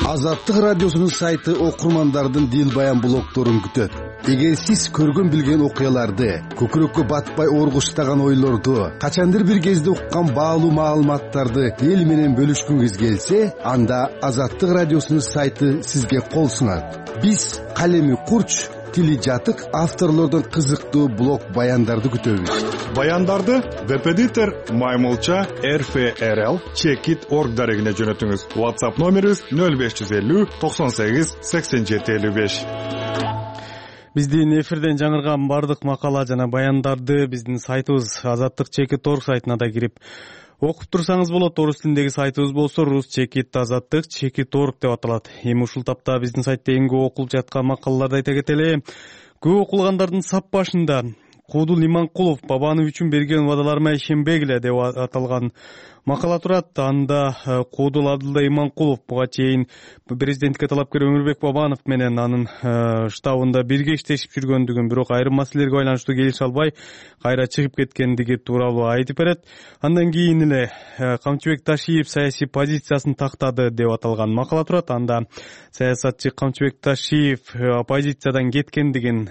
Азаттык радиосунун сайты окурмандардын дил баян блогдорун күтөт. Эгер сиз көргөн билген окуяларды, көкүрөккө батпай оргуштаган ойлорду, качандыр бир кезде уккан баалуу маалыматтарды эл менен бөлүшкүңүз келсе, анда Азаттык радиосунун сайты сизге кол сунат. Биз калеми курч, тили жатык авторлордун кызыктуу блог баяндарды күтөбүз. Баяндарды веб-эдитор Маймылча эр эф эр эл чекит точка орг дарегине жөнөтүңүз. WhatsApp номерибиз нөл беш жүз элүү токсон сегиз сексен жети элүү беш. Биздин эфирден жаңырган бардык макала жана баяндарды биздин сайтыбыз азаттык чекит точка орг сайтына да кирип окуп турсаңыз болот. Орус тилиндеги сайтыбыз болсо рус чекит азаттык чекит точка орг деп аталат. Эми ушул тапта биздин сайтта эң көп окулуп жаткан макалаларды айта кетели. Көп окулгандардын сап башында Куудул Иманкулов Бабанов үчүн берген убадаларыма ишенбегиле деп аталган макала турат. Анда Куудул Абдылда Иманкулов буга чейин президенттикке талапкер Өмүрбек Бабанов менен анын штабында бирге иштешип жүргөндүгүн, бирок айрым маселелерге байланыштуу келише албай кайра чыгып кеткендиги тууралуу айтып берет. Андан кийин эле Камчыбек Ташиев саясий позициясын тактады деп аталган макала турат. Анда саясатчы Камчыбек Ташиев оппозициядан кеткендигин,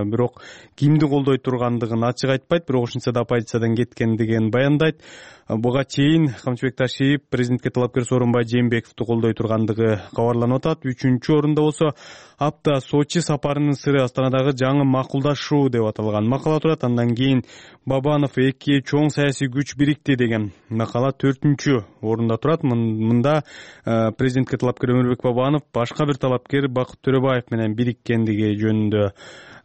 бирок кимди колдой тургандыгын ачык айтпайт, бирок ошентсе да оппозициядан кеткендигин баяндайт. Буга чейин Камчыбек Ташиев президентке талапкер Сооронбай Жээнбековду колдой тургандыгы кабарланып атат. Үчүнчү орунда болсо апта Сочи сапарынын сыры Астанадагы жаңы макулдашуу деп аталган макала турат. Андан кийин Бабанов эки чоң саясий күч бирикти деген макала төртүнчү орунда турат. Мында президентке талапкер Өмүрбек Бабанов башка бир талапкер Бакыт Төрөбаев менен бириккендиги жөнүндө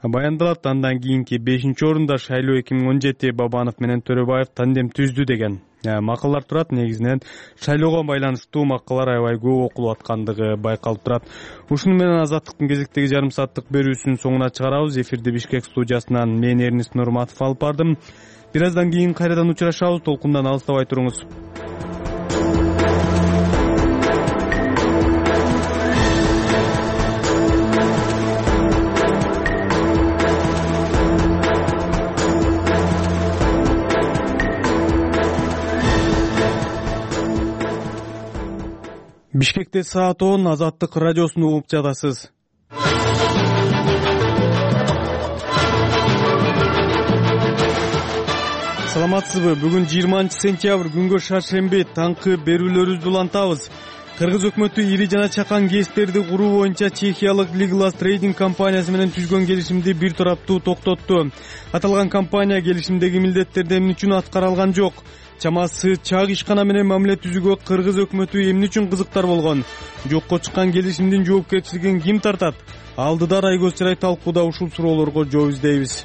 баяндалат. Андан кийинки бешинчи орунда шайлоо эки миң он жети Бабанов менен Төрөбаев тандем түздү деген макалдар турат. Негизинен шайлоого байланыштуу макалар аябай көп окулуп аткандыгы байкалып турат. Ушуну менен Азаттыктын кезектеги жарым сааттык берүүсүнүн соңуна чыгарабыз. Эфирди Бишкек студиясынан мен Эрнис Нурматов алып бардым. Бир аздан кийин кайрадан учурашабыз. Толкундан алыстабай туруңуз. Бишкекте саат он. Азаттык радиосун угуп жатасыз. Саламатсызбы? Бүгүн жыйырманчы сентябрь күнгө шаршемби таңкы берүүлөрүбүздү улантабыз. Кыргыз өкмөтү ири жана чакан ГЭСтерди куруу боюнча чехиялык Liglas Trading компаниясы менен түзгөн келишимди бир тараптуу токтотту. Аталган компания келишимдеги милдеттерди эмне үчүн аткара алган жок? Чамасы чак ишкана менен мамиле түзүүгө кыргыз өкмөтү эмне үчүн кызыктар болгон? Жокко чыккан келишимдин жоопкерчилигин ким тартат? Алдыда Райгөз Чырай талкууда ушул суроолорго жооп издейбиз.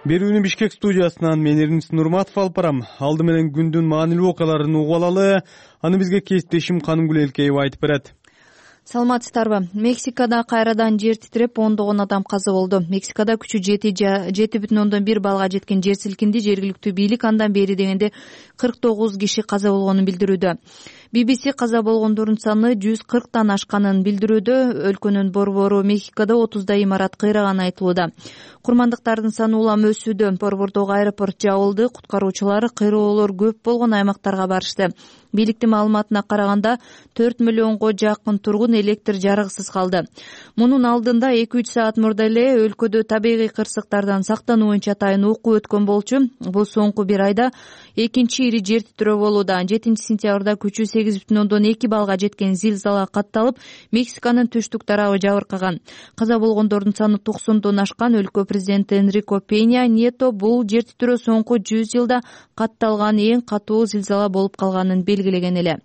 Берүүнү Бишкек студиясынан мен Эрнис Нурматов алып барам. Алды менен күндүн маанилүү окуяларын угуп алалы. Аны бизге кесиптешим Канымгүл Элкеева айтып берет. Саламатсыздарбы? Мексикада кайрадан жер титиреп ондогон адам каза болду. Мексикада күчү жети бүтүн ондон бир балга жеткен жер силкинди. Жергиликтүү бийлик андан бери дегенде кырк тогуз киши каза болгонун билдирүүдө. би би си каза болгондордун саны жүз кырктан ашканын билдирүүдө. Өлкөнүн борбору Мексикада отуздай имарат кыйраганы айтылууда. Курмандыктардын саны улам өсүүдө. Борбордогу аэропорт жабылды. Куткаруучулар кыйроолор көп болгон аймактарга барышты. Бийликтин маалыматына караганда төрт миллионго жакын тургун электр жарыгысыз калды. Мунун алдында эки үч саат мурда эле өлкөдө табигый кырсыктардан сактануу боюнча атайын окуу өткөн болчу. Бул соңку бир айда экинчи ири жер титирөө болууда. жетинчи сентябрда күчү сегиз бүтүн ондон эки балга жеткен зилзала катталып, Мексиканын түштүк тарабы жабыркаган. Каза болгондордун саны токсондон ашкан. Өлкө президенти Энрико Пеня Ньето бул жер титирөө соңку жүз жылда катталган эң катуу зилзала болуп калганын белгилеген эле.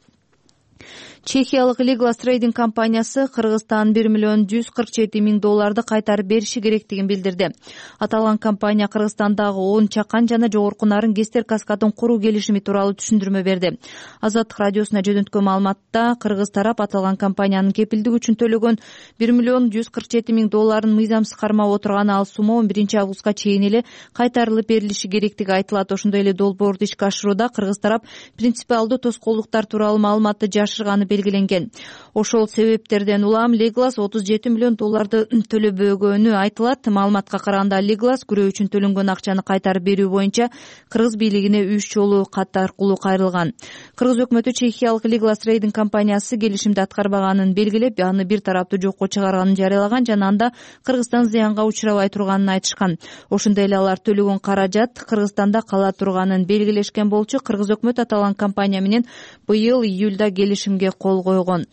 Чехиялык Liglas Trading компаниясы Кыргызстан бир миллион жүз кырк жети миң долларды кайтарып бериши керектигин билдирди. Аталган компания Кыргызстандагы он чакан жана жогорку нарын ГЭСтер каскадын куруу келишими тууралуу түшүндүрмө берди. Азаттык радиосуна жөнөткөн маалыматта кыргыз тарап аталган компаниянын кепилдик үчүн төлөгөн бир миллион жүз кырк жети миң долларын мыйзамсыз кармап отурганы, ал сума он биринчи августка чейин эле кайтарылып берилиши керектиги айтылат. Ошондой эле долбоорду ишке ашырууда кыргыз тарап принципиалдуу тоскоолдуктар тууралуу маалыматты жашырганы белгиленген. Ошол себептерден улам Liglas отуз жети миллион долларды төлөбөгөнү айтылат. Маалыматка караганда Liglas күрөө үчүн төлөнгөн акчаны кайтарып берүү боюнча кыргыз бийлигине үч жолу кат аркылуу кайрылган. Кыргыз өкмөтү чехиялык Liglas Trading компаниясы келишимди аткарбаганын белгилеп, аны бир тараптуу жокко чыгарганын жарыялаган жана анда Кыргызстан зыянга учурабай турганын айтышкан. Ошондой эле алар төлөгөн каражат Кыргызстанда кала турганын белгилешкен болчу. Кыргыз өкмөтү аталган компания менен быйыл июлда келишимге кол койгон.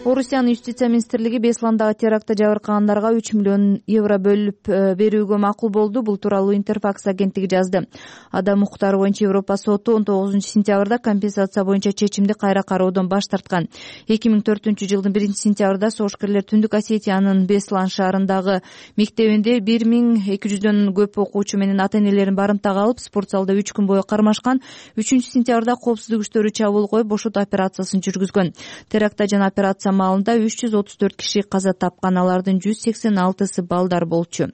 Орусиянын юстиция министрлиги Бесландагы терактта жабыркагандарга үч миллион евро бөлүп берүүгө макул болду. Бул тууралуу Интерфакс агенттиги жазды. Адам укуктары боюнча Европа соту он тогузунчу сентябрда компенсация боюнча чечимди кайра кароодон баш тарткан. эки миң төртүнчү жылдын биринчи сентябрда согушкерлер Түндүк Осетиянын Беслан шаарындагы мектебинде бир миң эки жүздөн көп окуучу менен ата-энелерин барымтага алып, спорт залда үч күн бою кармашкан. үчүнчү сентябрда коопсуздук күчтөрү чабуул коюп, бошотуу операциясын жүргүзгөн. Терактта жана операция маалында үч жүз отуз төрт киши каза тапкан, алардын жүз сексен алтысы балдар болчу.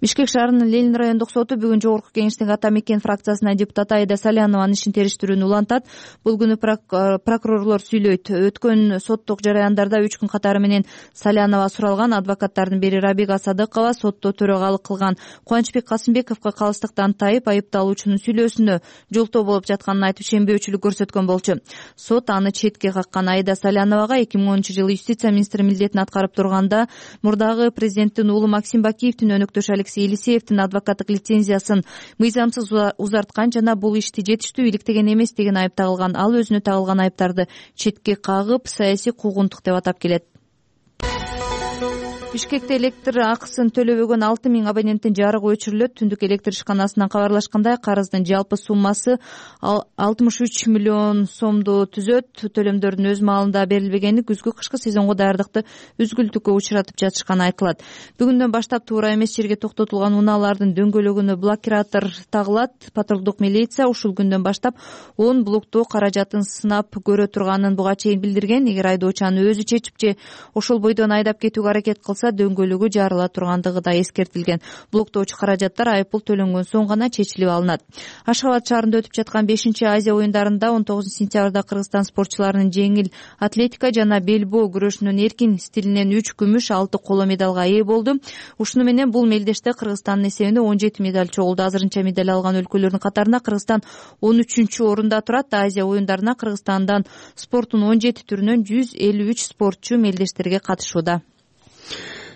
Бишкек шаарынын Ленин райондук соту бүгүн жогорку кеңештин Ата Мекен фракциясына депутат Айда Салянованын ишин териштирүүнү улантат. Бул күнү прокурорлор сүйлөйт. Өткөн соттук жараяндарда үч күн катары менен Салянова суралган. Адвокаттардын бири Рабига Садыкова сотто төрагалык кылган Кубанычбек Касымбековго калыстыктан тайып, айыпталуучунун сүйлөөсүнө жолтоо болуп жатканын айтып шембөөчүлүк көрсөткөн болчу. Сот аны четке каккан. Айда Саляновага эки миң онунчу жылы юстиция министри милдетин аткарып турганда мурдагы президенттин уулу Максим Бакиевдин өнөктөшү Алексей Елисеевдин адвокаттык лицензиясын мыйзамсыз узарткан жана бул ишти жетиштүү иликтеген эмес деген айып тагылган. Ал өзүнө тагылган айыптарды четке кагып, саясий куугунтук деп атап келет. Бишкекте электр акысын төлөбөгөн алты миң абоненттин жарыгы өчүрүлөт. Түндүк электр ишканасынан кабарлашкандай, карыздын жалпы суммасы алтымыш үч миллион сомду түзөт. Төлөмдөрдүн өз маалында берилбегени күзгү кышкы сезонго даярдыкты үзгүлтүккө учуратып жатышканы айтылат. Бүгүндөн баштап туура эмес жерге токтотулган унаалардын дөңгөлөгүнө блокиратор тагылат. Патрулдук милиция ушул күндөн баштап он блоктоо каражатын сынап көрө турганын буга чейин билдирген. Эгер айдоочу аны өзү чечип же ошол бойдон айдап кетүүгө аракет кылса, дөңгөлөгү жарыла тургандыгы да эскертилген. Блоктоочу каражаттар айыппул төлөнгөн соң гана чечилип алынат. Ашхабад шаарында өтүп жаткан бешинчи Азия оюндарында он тогузунчу сентябрда Кыргызстан спортчуларынын жеңил атлетика жана белбоо күрөшүнүн эркин стилинен үч күмүш, алты коло медалга ээ болду. Ушуну менен бул мелдеште Кыргызстандын эсебинде он жети медаль чогулду. Азырынча медаль алган өлкөлөрдүн катарында Кыргызстан он үчүнчү орунда турат. Азия оюндарына Кыргызстандан спорттун он жети түрүнөн жүз элүү үч спортчу мелдештерге катышууда.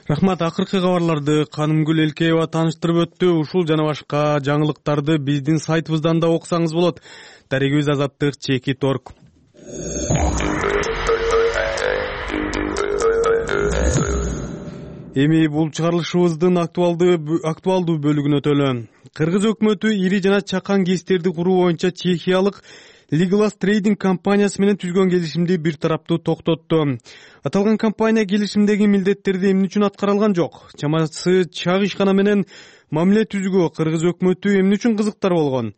Рахмат. Акыркы кабарларды Канымгүл Элкеева тааныштырып өттү. Ушул жана башка жаңылыктарды биздин сайтыбыздан да окусаңыз болот. Дарегибиз Азаттык Чекит орг. Эми бул чыгарылышыбыздын актуалдуу бөлүгүнө өтөлү. Кыргыз өкмөтү ири жана чакан кестерди куруу боюнча чехиялык Legolas Trading компаниясы менен түзгөн келишимди бир тараптуу токтотту. Аталган компания келишимдеги милдеттерди эмне үчүн аткара алган жок? Чамасы чак ишкана менен мамиле түзүүгө кыргыз өкмөтү эмне үчүн кызыктар болгон?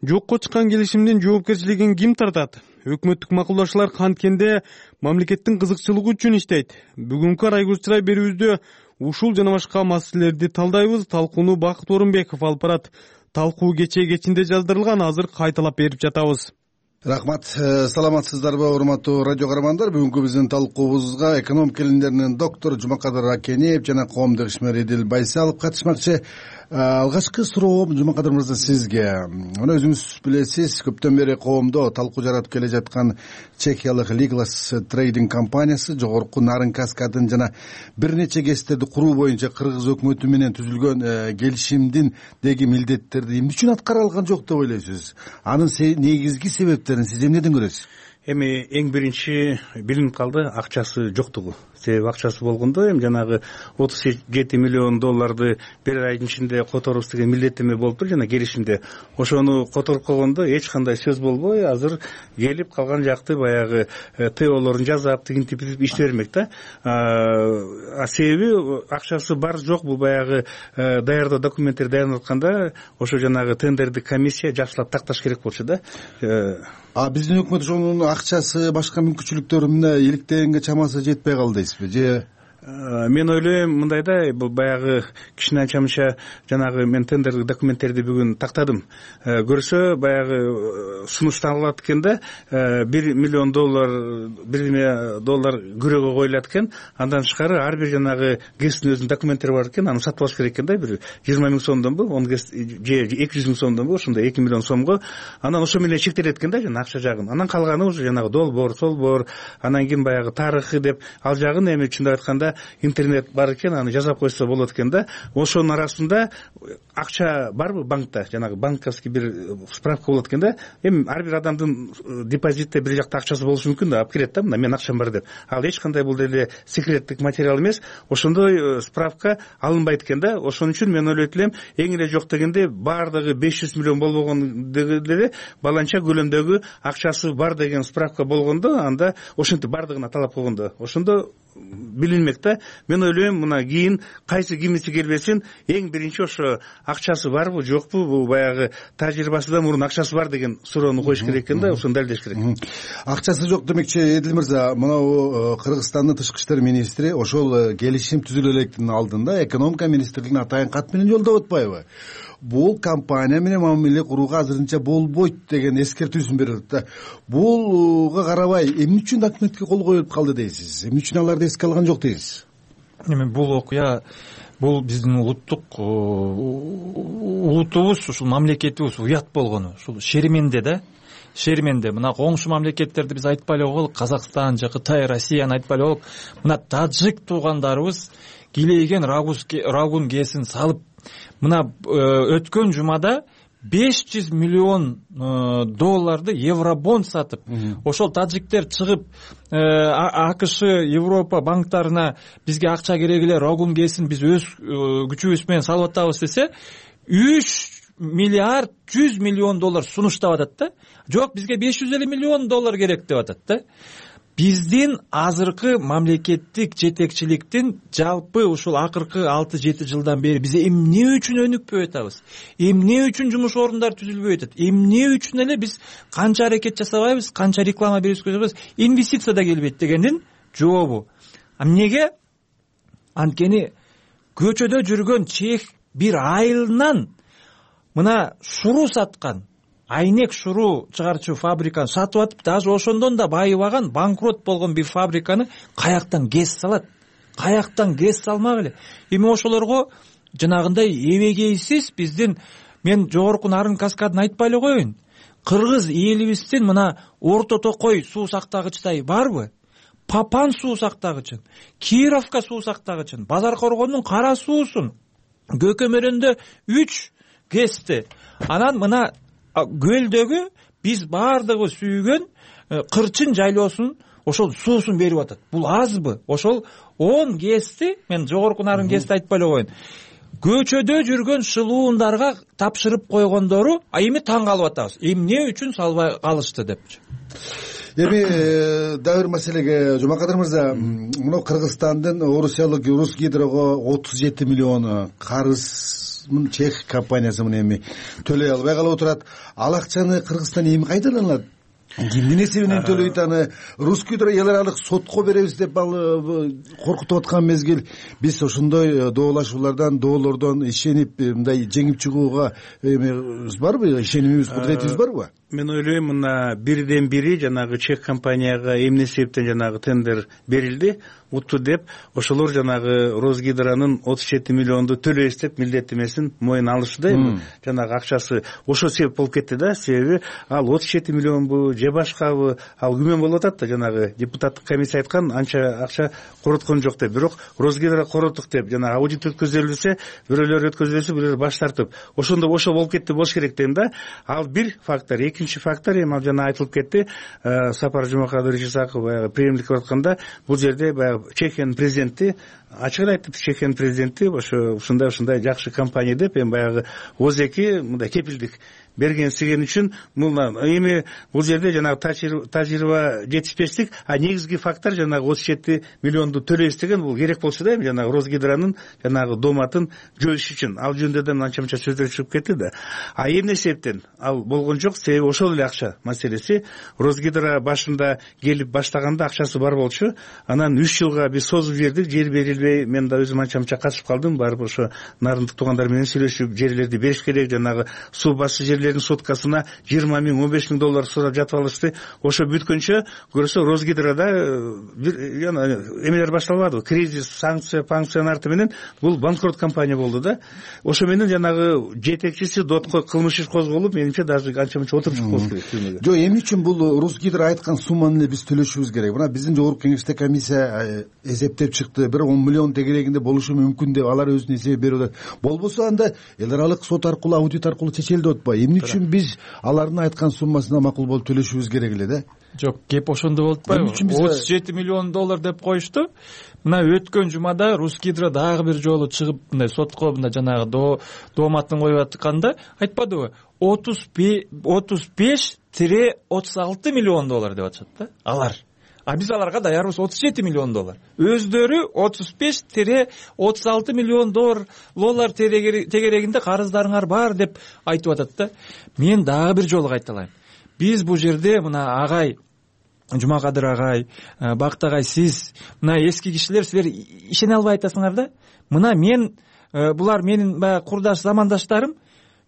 Жокко чыккан келишимдин жоопкерчилигин ким тартат? Өкмөттүк макулдашуулар канткенде мамлекеттин кызыкчылыгы үчүн иштейт. Бүгүнкү Райгүл Чырай берүүбүздө ушул жана башка маселелерди талдайбыз. Талкууну Бакыт Орунбеков алып барат. Талкуу кечээ кечинде жаздырылган, азыр кайталап берип жатабыз. Рахмат. Саламатсыздарбы, урматтуу радио каармандар? Бүгүнкү биздин талкуубузга экономика илимдеринин доктору Жумакадыр Акенеев жана коомдук ишмер Эдил Байсалов катышмакчы. Алгачкы суроом Жумакадыр мырза сизге. Мына өзүңүз билесиз, көптөн бери коомдо талкуу жаратып келе жаткан чехиялык Legolas Trading компаниясы жогорку Нарын Каскадын жана бир нече кестерди куруу боюнча кыргыз өкмөтү менен түзүлгөн келишимдин деги милдеттерди эмне үчүн аткара алган жок деп ойлойсуз? Анын негизги себептерин сиз эмнеден көрөсүз? Эми эң биринчи билинип калды акчасы жоктугу. Себеби акчасы болгондо эми жанагы отуз жети миллион долларды бир айдын ичинде которубуз деген милдеттеме болуптур жана келишимде. Ошону которуп койгондо эч кандай сөз болбой, азыр келип калган жакты баягы теолорун жасап, тигинтип иштей бермек да. А себеби акчасы бар жок, бул баягы даярдоо документтерди даярдап атканда ошо жанагы тендерди комиссия жакшылап такташ керек болчу да. А биздин өкмөт ошонун акчасы, башка мүмкүнчүлүктөрү мына иликтегенге чамасы жетпей калды дейсизби же? Мен ойлойм мындай да, бул баягы кичине анча-мынча жанагы мен тендердик документтерди бүгүн тактадым. Көрсө баягы сунушталат экен да, бир миллион доллар, бир доллар күрөөгө коюлат экен. Андан тышкары ар бир жанагы кесиптин өзүнүн документтери бар экен, аны сатып алыш керек экен да, бир жыйырма миң сомдонбу, он кес же эки жүз миң сомдонбу, ошондой эки миллион сомго. Анан ошо менен чектелет экен да, жана акча жагын. Анан калганы уже жанагы долбоор, солбоор, анан кийин баягы тарыхы деп ал жагын эми чындап айтканда интернет бар экен, аны жазап койсо болот экен да. Ошонун арасында акча барбы банкта, жанагы банковский бир справка болот экен да. Эми ар бир адамдын депозитте бир жакта акчасы болушу мүмкүн да, алып келет да, мына мен акчам бар деп. Ал эч кандай бул деле секреттик материал эмес. Ошондой справка алынбайт экен да. Ошон үчүн мен ойлойт элем, эң эле жок дегенде баардыгы беш жүз миллион болбогон деле баланча көлөмдөгү акчасы бар деген справка болгондо, анда ошентип баардыгына талап койгондо, ошондо билинмек да. Мен ойлойм, мына кийин кайсы кимиси келбесин, эң биринчи ошо акчасы барбы жокпу, бул баягы тажрыйбасыдан мурун акчасы бар деген суроону коюш керек экен да, ошону далилдеш керек. Акчасы жок демекчи Эдил мырза, мына Кыргызстандын тышкы иштер министри ошол келишим түзүлө электин алдында экономика министрлигине атайын кат менен жолдоп атпайбы? Бул компания менен мамиле курууга азырынча болбойт деген эскертүүсүн берип атат. Булга карабай эмне үчүн документке кол коюлуп калды дейсиз? Эмне үчүн аларды эске алган жок дейсиз? Эми бул окуя, бул биздин улуттук улутубуз, ушул мамлекетибиз уят болгону, ушул шерименде да. Шерименде мына коңшу мамлекеттерди биз айтпай эле койгула, Казакстан же Кытай, Россияны айтпай эле койгула. Мына таджик туугандарыбыз килейген рагун кесин салып, мына өткөн жумада беш жүз миллион долларды евробонд сатып, ошол тажиктер чыгып АКШ, Европа банктарына бизге акча керек эле, рогун кесин, биз өз күчүбүз менен салып атабыз десе, үч миллиард жүз миллион доллар сунуштап атат да. Жок, бизге беш жүз элүү миллион доллар керек деп атат да. Биздин азыркы мамлекеттик жетекчиликтин жалпы ушул акыркы алты жети жылдан бери биз эмне үчүн өнүкпөй атабыз, эмне үчүн жумуш орундары түзүлбөй атат, эмне үчүн эле биз канча аракет жасабайбыз, канча реклама беребиз, инвестиция да келбейт дегендин жообу. А эмнеге? Анткени көчөдө жүргөн чех бир айылынан мына шуру саткан, айнек шуру чыгарчу фабриканы сатып атып, даже ошондон да байыбаган, банкрот болгон бир фабриканы каяктан гез салат, каяктан гез салмак эле. Эми ошолорго жанагындай эбегейсиз биздин, мен жогорку Нарын каскадын айтпай эле коеюн, кыргыз элибиздин мына Орто Токой суу сактагычтай барбы, Папан суу сактагычын, Кировка суу сактагычын, Базар Коргондун кара суусун, Көкөмөрөндө үч гэсти, анан мына көлдөгү биз баардыгы сүйгөн Кырчын жайлоосун ошол суусун берип атат. Бул азбы? Ошол он гэсти, мен жогорку Нарын гэсти айтпай эле коеюн, көчөдө жүргөн шылуундарга тапшырып койгондору, а эми таң калып атабыз. Эмне үчүн салбай калышты депчи. Эми дагы бир маселеге, Жумакадыр мырза, мына Кыргызстандын орусиялык Русгидрого отуз жети миллион карыз чех компаниясы мына эми төлөй албай калып отурат. Ал акчаны Кыргызстан эми кайтаралат? Кимдин эсебинен төлөйт аны? Русгидро эл аралык сотко беребиз деп коркутуп аткан мезгил, биз ошондой доолашуулардан, доолордон ишенип мындай жеңип чыгууга эмебиз барбы? Ишенимибиз, кудуретибиз барбы? Мен ойлойм, мына бирден бири жанагы чех компанияга эмне себептен жанагы тендер берилди, утту деп, ошолор жанагы Росгидронун отуз жети миллионду төлөйбүз деп милдеттемесин моюна алышты да. Эми жанагы акчасы ошо себеп болуп кетти да. Себеби ал отуз жети миллионбу же башкабы, ал күмөн болуп атат да, жанагы депутаттык комиссия айткан анча акча короткон жок деп. Бирок Росгидро короттук деп жанагы аудит өткөзүлсө, бирөөлөр өткөзүлсө, бирөөлөр баш тартып, ошондо ошо болуп кетти болуш керек дейм да. Ал бир фактор. Экинчи фактор, эми ал жана айтылып кетти, Сапар Жумакадырович Исаков баягы премьерлик кылып атканда, бул жерде баягы Чехиянын президенти ачык айтып, Чехиянын президенти ошо ушундай ушундай жакшы компания деп, эми баягы озеки мындай кепилдик берген сиген үчүн мына эми бул жерде жанагы тажрыйба жетишпештик, а негизги фактор жанагы отуз жети миллионду төлөйбүз деген, бул керек болчу да, эми жанагы Росгидронун жанагы доматын жойуш үчүн. Ал жөнүндө да анча мынча сөздөр чыгып кетти да. А эмне себептен ал болгон жок? Себеби ошол эле акча маселеси. Росгидро башында келип баштаганда акчасы бар болчу, анан үч жылга биз созуп жибердик, жер берилбей, мен да өзүм анча мынча катышып калдым, барып ошо нарындык туугандар менен сүйлөшүп жерлерди бериш керек, жанагы суу басчы жерлердин соткасына жыйырма миң, он беш миң доллар сурап жатып алышты. Ошо бүткөнчө көрсө Росгидрода бир эмелер башталбады, кризис, санкция, панкциянын арты менен бул банкрот компания болду да. Ошо менен жанагы жетекчиси дотко кылмыш иш козголуп, менимче даже анча мынча отуруп чыкпош керек. Жок, эмне үчүн бул Росгидро айткан сумманы эле биз төлөшүбүз керек? Мына биздин жогорку кеңеште комиссия эсептеп чыкты, бир он миллион тегерегинде болушу мүмкүн деп алар өзүнүн эсеби берип атат. Болбосо анда эл аралык сот аркылуу, аудит аркылуу чечелди деп атпайбы? Эмне үчүн биз алардын айткан суммасына макул болуп төлөшүбүз керек эле да? Жок, кеп ошондо болуп атпайбы? отуз жети миллион доллар деп коюшту. Мына өткөн жумада Русгидро дагы бир жолу чыгып мындай сотко мындай жанагы дооматын коюп атканда айтпадыбы? отуз беш отуз алты миллион доллар деп атышат да алар. А биз аларга даярбыз отуз жети миллион доллар. Өздөрү отуз беш отуз алты миллион доллар тегерегинде карыздарыңар бар деп айтып атат да. Мен дагы бир жолу кайталайм. Биз бул жерде мына агай Жумакадыр агай, Бакыт агай, сиз мына эски кишилер, силер ишене албай атасыңар да. Мына мен, булар менин баягы курдаш замандаштарым,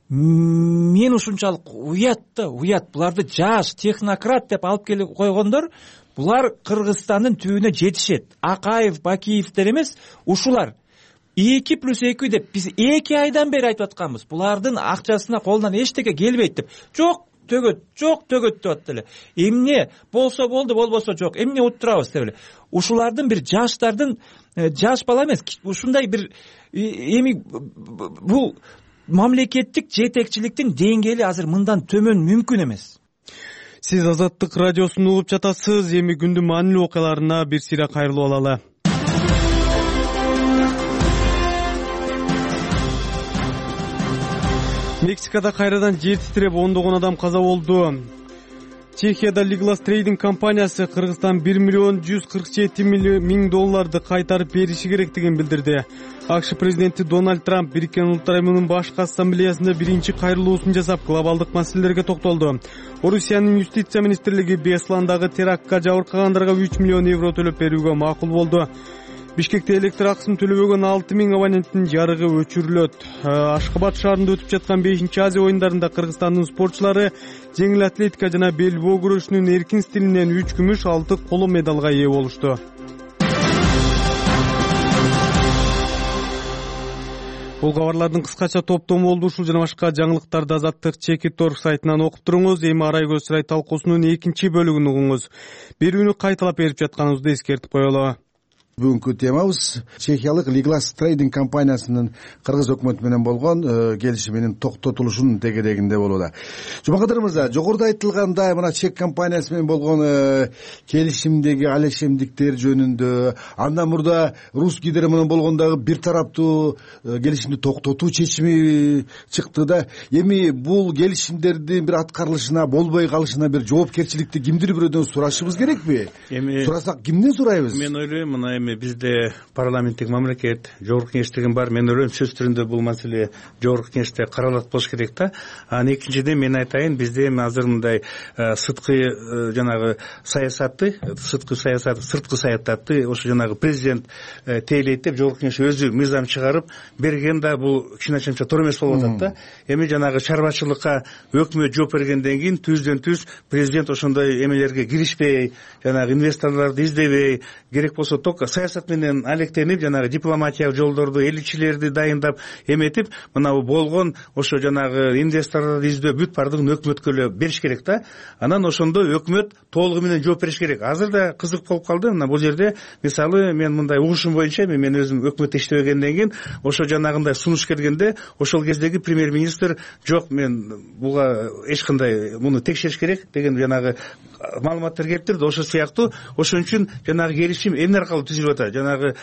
мен ушунчалык уят да, уят. Буларды жаш технократ деп алып келип койгондор, булар Кыргызстандын түбүнө жетишет. Акаев, Бакиевдер эмес, ушулар. эки плюс эки деп биз эки айдан бери айтып атканбыз. Булардын акчасына колунан эчтеке келбейт деп. Жок, төгөт, жок, төгөт деп атты эле. Эмне болсо болду, болбосо жок. Эмне уттурабыз деп эле. Ушулардын бир жаштардын, жаш бала эмес, ушундай бир эми бул мамлекеттик жетекчиликтин деңгээли азыр мындан төмөн мүмкүн эмес. Сиз Азаттык радиосун угуп жатасыз. Эми күндүн маанилүү окуяларына бир сыйра кайрылып алалы. Мексикада кайрадан жер титиреп ондогон адам каза болду. Чехияда Liglas Trading компаниясы Кыргызстан бир миллион жүз кырк жети миң долларды кайтарып бериши керектигин билдирди. АКШ президенти Дональд Трамп Бириккен Улуттар Уюмунун башкы ассамблеясында биринчи кайрылуусун жасап, глобалдык маселелерге токтолду. Орусиянын юстиция министрлиги Бесландагы терактка жабыркагандарга үч миллион евро төлөп берүүгө макул болду. Бишкекте электр акысын төлөбөгөн алты миң абоненттин жарыгы өчүрүлөт. Ашкабад шаарында өтүп жаткан бешинчи Азия оюндарында Кыргызстандын спортчулары жеңил атлетика жана бел боо күрөшүнүн эркин стилинен үч күмүш, алты коло медалга ээ болушту. Бул кабарлардын кыскача топтому болду. Ушул жана башка жаңылыктарды Азаттык Чекит орг сайтынан окуп туруңуз. Эми Арай көз чырай талкуусунун экинчи бөлүгүн угуңуз. Берүүнү кайталап берип жатканыбызды эскертип коелу. Бүгүнкү темабыз Чехиялык Liglas Trading компаниясынын кыргыз өкмөтү менен болгон келишиминин токтотулушунун тегерегинде болууда. Жумакадыр мырза, жогоруда айтылгандай мына чек компаниясы менен болгон келишимдеги алешемдиктер жөнүндө, андан мурда Рус Гидро менен болгон дагы бир тараптуу келишимди токтотуу чечими чыкты да. Эми бул келишимдердин бир аткарылышына, болбой калышына бир жоопкерчиликти кимдир бирөөдөн сурашыбыз керекпи? Эми сурасак кимден сурайбыз? Мен ойлойм, мына бизде парламенттик мамлекет, жогорку кеңештигин бар. Мен ойлойм сөз түрүндө бул маселе жогорку кеңеште каралат болуш керек да. Анан экинчиден мен айтайын, бизде эми азыр мындай сырткы жанагы саясатты, сырткы саясат, сырткы саясатты ошо жанагы президент тейлейт деп жогорку кеңеш өзү мыйзам чыгарып берген да, бул кичине-чамча туура эмес болуп атат да. Эми жанагы чарбачылыкка өкмөт жооп бергенден кийин түздөн түз президент ошондой эмелерге киришпей, жанагы инвесторлорду издебей, керек болсо ток саясат менен алектенип, жанагы дипломатиялык жолдорду, элчилерди дайындап эметип, мына болгон ошо жанагы инвесторлорду издөө бүт бардыгын өкмөткө эле бериш керек да. Анан ошондо өкмөт толугу менен жооп бериш керек. Азыр да кызык болуп калды. Мына бул жерде мисалы мен мындай угушум боюнча, мен өзүм өкмөттө иштебегенден кийин ошо жанагындай сунуш келгенде ошол кездеги премьер-министр жок, мен буга эч кандай муну текшериш керек деген жанагы маалыматтар келип турду. Ошол сыяктуу ошон үчүн жанагы келишим эмне аркылуу түзүлүп атат? Жанагы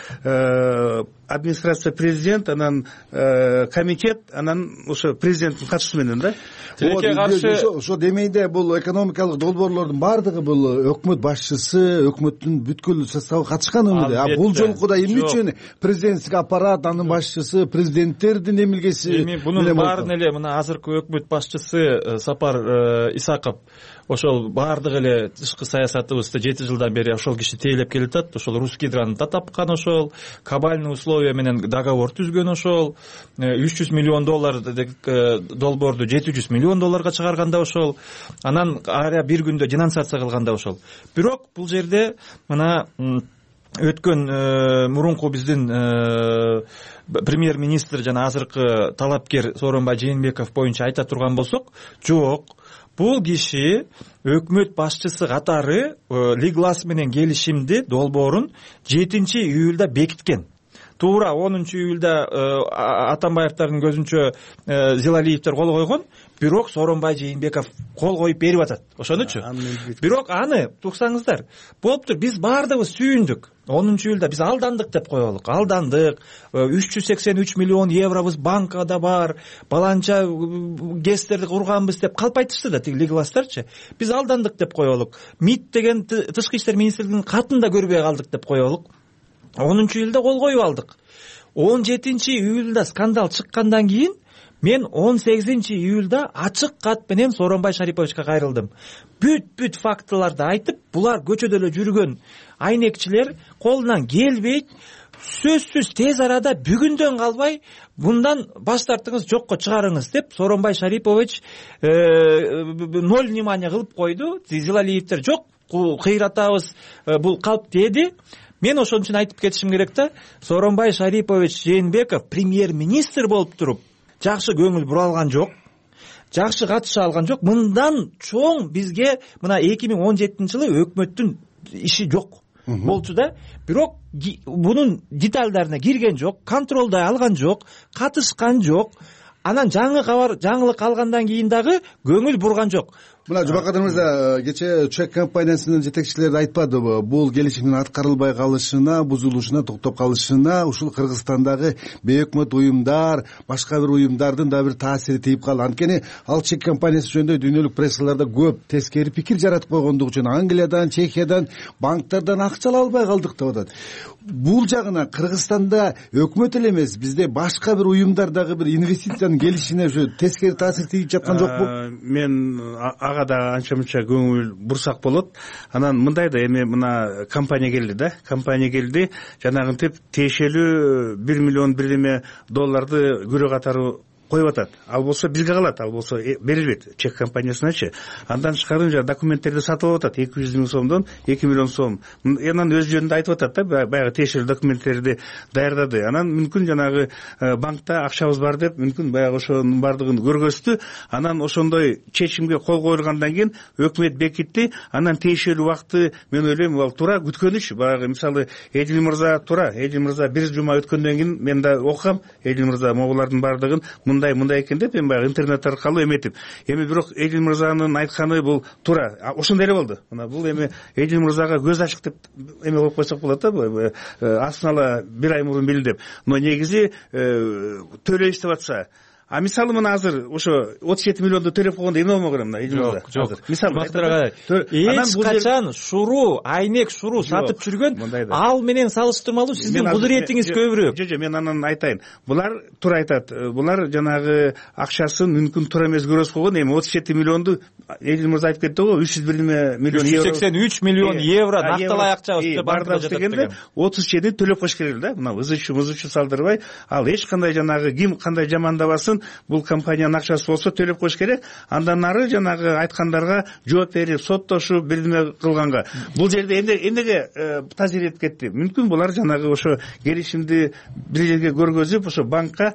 администрация президент, анан комитет, анан ошо президенттин катышуусу менен да. Тилекке каршы ошо демейде бул экономикалык долбоорлордун бардыгы бул өкмөт башчысы, өкмөттүн бүткүл составы катышкан өмүрдө. А бул жолку да эмне үчүн президенттик аппарат, анын башчысы, президенттердин эмилгеси? Эми бунун баарын эле мына азыркы өкмөт башчысы Сапар Исаков ошол баардык эле тышкы саясатыбызды жети жылдан бери ошол киши тейлеп келатат. Ошол Рус Гидрону да тапкан, ошол кабальный условия менен договор түзгөн, ошол үч жүз миллион доллар долбоорду жети жүз миллион долларга чыгарганда ошол, анан ара бир күндө денонсация кылганда ошол. Бирок бул жерде мына өткөн мурунку биздин премьер-министр жана азыркы талапкер Сооронбай Жээнбеков боюнча айта турган болсок, жок, бул киши өкмөт башчысы катары Liglas менен келишимди долбоорун жетинчи июлда бекиткен. Туура онунчу июлда Атамбаевдин көзүнчө Зилалиевдер кол койгон, бирок Сооронбай Жээнбеков кол коюп берип атат. Ошонучу. Бирок аны туксаңыздар, болуптур, биз баардыгыбыз сүйүндүк. онунчу июлда биз алдандык деп коелук. Алдандык. үч жүз сексен үч миллион евробуз банкада бар. Баланча гестерди курганбыз деп калп айтышты да тиги Liglas'тарчы. Биз алдандык деп коелук. МИД деген тышкы иштер министрлигинин катын да көрбөй калдык деп коелук. онунчу июлда кол коюп алдык. он жетинчи июлда скандал чыккандан кийин мен он сегизинчи июлда ачык кат менен Сооронбай Шариповичке кайрылдым. Бүт-бүт фактыларды айтып, булар көчөдө эле жүргөн айнекчилер колунан келбейт, сөзсүз тез арада бүгүндөн калбай мындан баш тартыңыз, жокко чыгарыңыз деп Сооронбай Шарипович ноль внимания кылып койду. Зилалиевдер жок, кыйратабыз, бул калп деди. Мен ошон үчүн айтып кетишим керек да, Сооронбай Шарипович Жээнбеков премьер-министр болуп туруп жакшы көңүл бура алган жок, жакшы катыша алган жок. Мындан чоң бизге мына эки миң он жетинчи жылы өкмөттүн иши жок болчу да. Бирок бунун детальдарына кирген жок, контролдой алган жок, катышкан жок. анан жаңы кабар жаңылык алгандан кийин дагы көңүл бурган жок. Мына Жубакадыр мырза, кечээ чек компаниясынын жетекчилери айтпадыбы, бул келишимдин аткарылбай калышына, бузулушуна, токтоп калышына ушул Кыргызстандагы бейөкмөт уюмдар, башка бир уюмдардын да бир таасири тийип калды. Анткени ал чек компаниясы жөнүндө дүйнөлүк прессаларда көп тескери пикир жаратып койгондугу үчүн Англиядан, Чехиядан, банктардан акча ала албай калдык деп атат. Бул жагына Кыргызстанда өкмөт эле эмес, бизде башка бир уюмдар дагы бир инвестициянын келишине ушу тескери таасир тийип жаткан жокпу? Мен ага да анча мынча көңүл бурсак болот. Анан мындай да, эми мына компания келди да, компания келди, жанагынтип тиешелүү бир миллион бир эме долларды күрө катары коюп атат. Ал болсо бизге калат, ал болсо берилбейт чек компаниясыначы. Андан тышкары жана документтерди сатып алып атат, эки жүз миң сомдон эки миллион сом. Анан өз жөнүндө айтып атат да, баягы тиешелүү документтерди даярдады. Анан мүмкүн жанагы банкта акчабыз бар деп, мүмкүн баягы ошонун бардыгын көргөздү. Анан ошондой чечимге кол коюлгандан кийин өкмөт бекитти. Анан тиешелүү убакты мен ойлойм ал туура күткөнүч. Баягы мисалы Эдил мырза туура, Эдил мырза бир жума өткөндөн кийин мен да окугам Эдил мырза могулардын бардыгын мындай мындай экен деп, эми баягы интернет аркылуу эметип. Эми бирок Эдил мырзанын айтканы бул туура. Ошондой эле болду. Мына бул эми Эдил мырзага көз ачык деп эме коюп койсок болот да, астын ала бир ай мурун билдим. Но негизи төлөйбүз деп атса, а мисалы мына азыр ошо отуз жети миллионду төлөп койгондо эмне болмок эле мына Эдил мырза? Жок, жок. Мисалы эч качан шуруу, айнек шуруу сатып жүргөн, ал менен салыштырмалуу сиздин кудуретиңиз көбүрөөк. Жок, жок, мен анан айтайын. Булар туура айтат. Булар жанагы акчасын мүмкүн туура эмес көрөсүп койгон. Эми отуз жети миллионду Эдил мырза айтып кетти го, үч жүз бир миллион евро. үч жүз сексен үч миллион евро накталай акчабыз бардыгы жатат дегенде отуз жетини төлөп коюш керек да. Мына ызычу мызычу салдырбай, ал эч кандай жанагы ким кандай жамандабасын, бул компаниянын акчасы болсо төлөп коюш керек. Андан нары жанагы айткандарга жооп берип, соттошуп, бирдеме кылганга. Бул жерде эмнеге тазир этип кетти? Мүмкүн булар жанагы ошо келишимди бир жерге көргөзүп, ошо банкка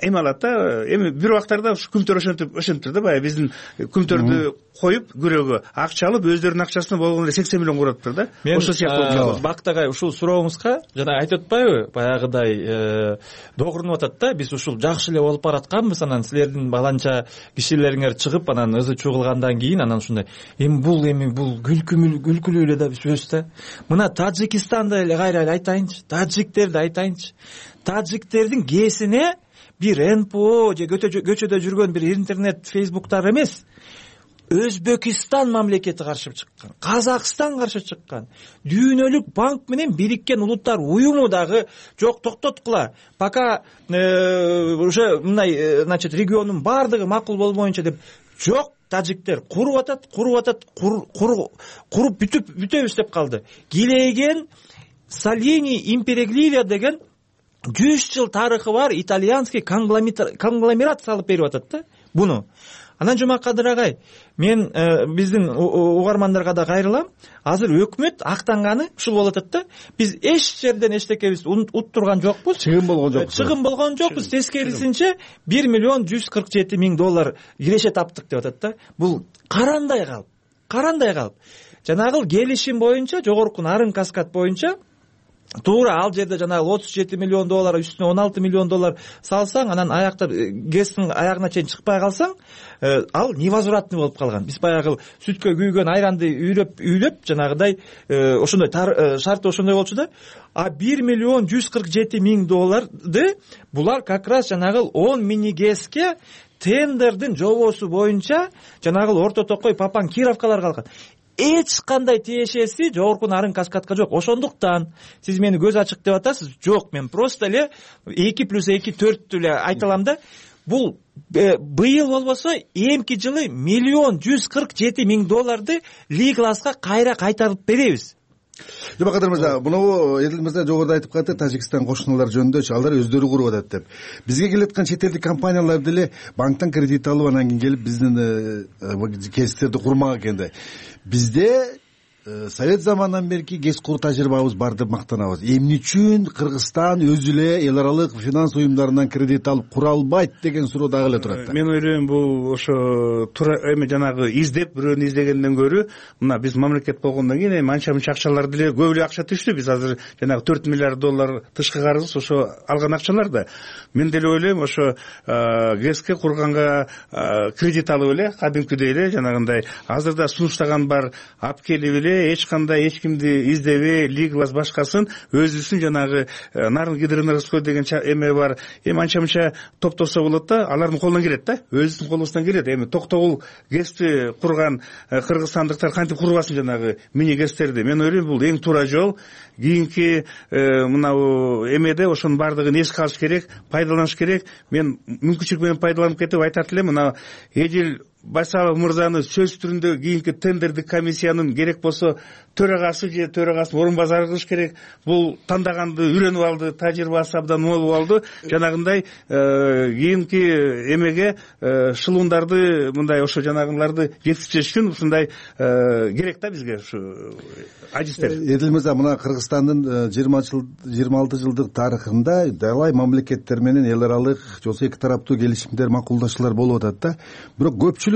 эме алат да. Эми бир убактарда ушу күмтөр ошентип ошентиптир да, баягы биздин күмтөрдү коюп күрөөгө акча алып, өздөрүнүн акчасына болгондо сексен миллион кураттыр да. Ошол сыяктуу Бактагай ушул сурооңузга жана айтып атпайбы, баягыдай догурунуп атат да, биз ушул жакшы эле болуп баратканбыз, анан силердин баланча кишилериңер чыгып, анан ызы чуу кылгандан кийин анан ушундай. Эми бул эми бул күлкүлүү күлкүлүү эле да сөз да. Мына Тажикстанды эле кайра эле айтайынчы, таджиктерди айтайынчы. Таджиктердин кээсине бир эн пэ о же көчөдө жүргөн бир интернет фейсбуктар эмес, Өзбекистан мамлекети каршы чыккан, Казакстан каршы чыккан, дүйнөлүк банк менен Бириккен Улуттар уюму дагы жок, токтоткула, пока уже мындай, значит, региондун бардыгы макул болмоюнча деп жок. Тажиктер куруп атат, куруп атат, куруп бүтүп бүтөбүз деп калды. Килейген Салини Империглия деген жүз жыл тарыхы бар итальянский конгломерат салып берип атат да буну. Анан Жумакадыр агай, мен биздин угармандарга да кайрылам. Азыр өкмөт актанганы ушул болуп атат да. Биз эч жерден эчтекебиз уттурган жокпуз. Чыгым болгон жокпуз. Чыгым болгон жокпуз. Тескерисинче бир миллион жүз кырк жети миң доллар киреше таптык деп атат да. Бул карандай калп, карандай калп. Жанагы келишим боюнча, жогорку нарын каскад боюнча туура ал жерде жанагы отуз жети миллион доллар үстүнө он алты миллион доллар салсаң, анан аяктар гэстин аягына чейин чыкпай калсаң, ал невозвратный болуп калган. Биз баягы сүткө күйгөн айранды үйрөп үйлөп жанагыдай ошондой шарты ошондой болчу да. А бир миллион жүз кырк жети миң долларды булар как раз жанагы он мини гэске тендердин жобосу боюнча жанагы орто токой Папан Кировкалар калган. Эч кандай тиешеси жогорку нарын каскадка жок. Ошондуктан сиз мени көз ачык деп атасыз. Жок, мен просто эле эки плюс эки төрттү эле айта алам да. Бул быйыл болбосо эмки жылы миллион жүз кырк жети миң долларды Ли-класска кайра кайтарып беребиз. Жубакадыр мырза, муну Эдил мырза жогоруда айтып калды, Тажикстан кошуналар жөнүндө алар өздөрү куруп атат деп. Бизге келаткан чет элдик компаниялар деле банктан кредит алып, анан кийин келип биздин кесиптерди курмак экен да. Бизде совет заманынан берки гэс куруу тажрыйбабыз бар деп мактанабыз. Эмне үчүн Кыргызстан өзү эле эл аралык финанс уюмдарынан кредит алып кура албайт деген суроо дагы эле турат да. Мен ойлойм бул ошо туура эми жанагы издеп бирөөнү издегенден көрө мына биз мамлекет болгондон кийин эми анча мынча акчалар деле көп эле акча түштү. Биз азыр жанагы төрт миллиард доллар тышкы карыз ошо алган акчалар да. Мен деле ойлойм ошо гэске курганга кредит алып эле кадимкидей эле жанагындай азырда сунуштаган бар алып келип эле эч кандай эч кимди издебей лиглас башкасын өзүбүздүн жанагы нарын гидроэнергостой деген эме бар. Эми анча мынча топтосо болот да, алардын колунан келет да, өзүбүздүн колубуздан келет. Эми токтогул гэсти курган кыргызстандыктар кантип курбасын жанагы мини гэстерди. Мен ойлойм бул эң туура жол. Кийинки мынау эмеде ошонун баардыгын эске алыш керек, пайдаланыш керек. Мен мүмкүнчүлүк менен пайдаланып кетип айтат элем, мына Эдил Байсалов мырзаны сөз түрүндө кийинки тендердик комиссиянын керек болсо төрагасы же төрагасынын орун базары кылыш керек. Бул тандаганды үйрөнүп алды, тажрыйбасы абдан молуп алды. Жанагындай кийинки эмеге шылуундарды мындай ошо жанагыларды жеткизиш үчүн ушундай керек да бизге ушу адистер. Эдил мырза, мына Кыргызстандын жыйырма алты жылдык тарыхында далай мамлекеттер менен эл аралык же болбосо эки тараптуу келишимдер, макулдашуулар болуп атат да. Бирок көпчүлүк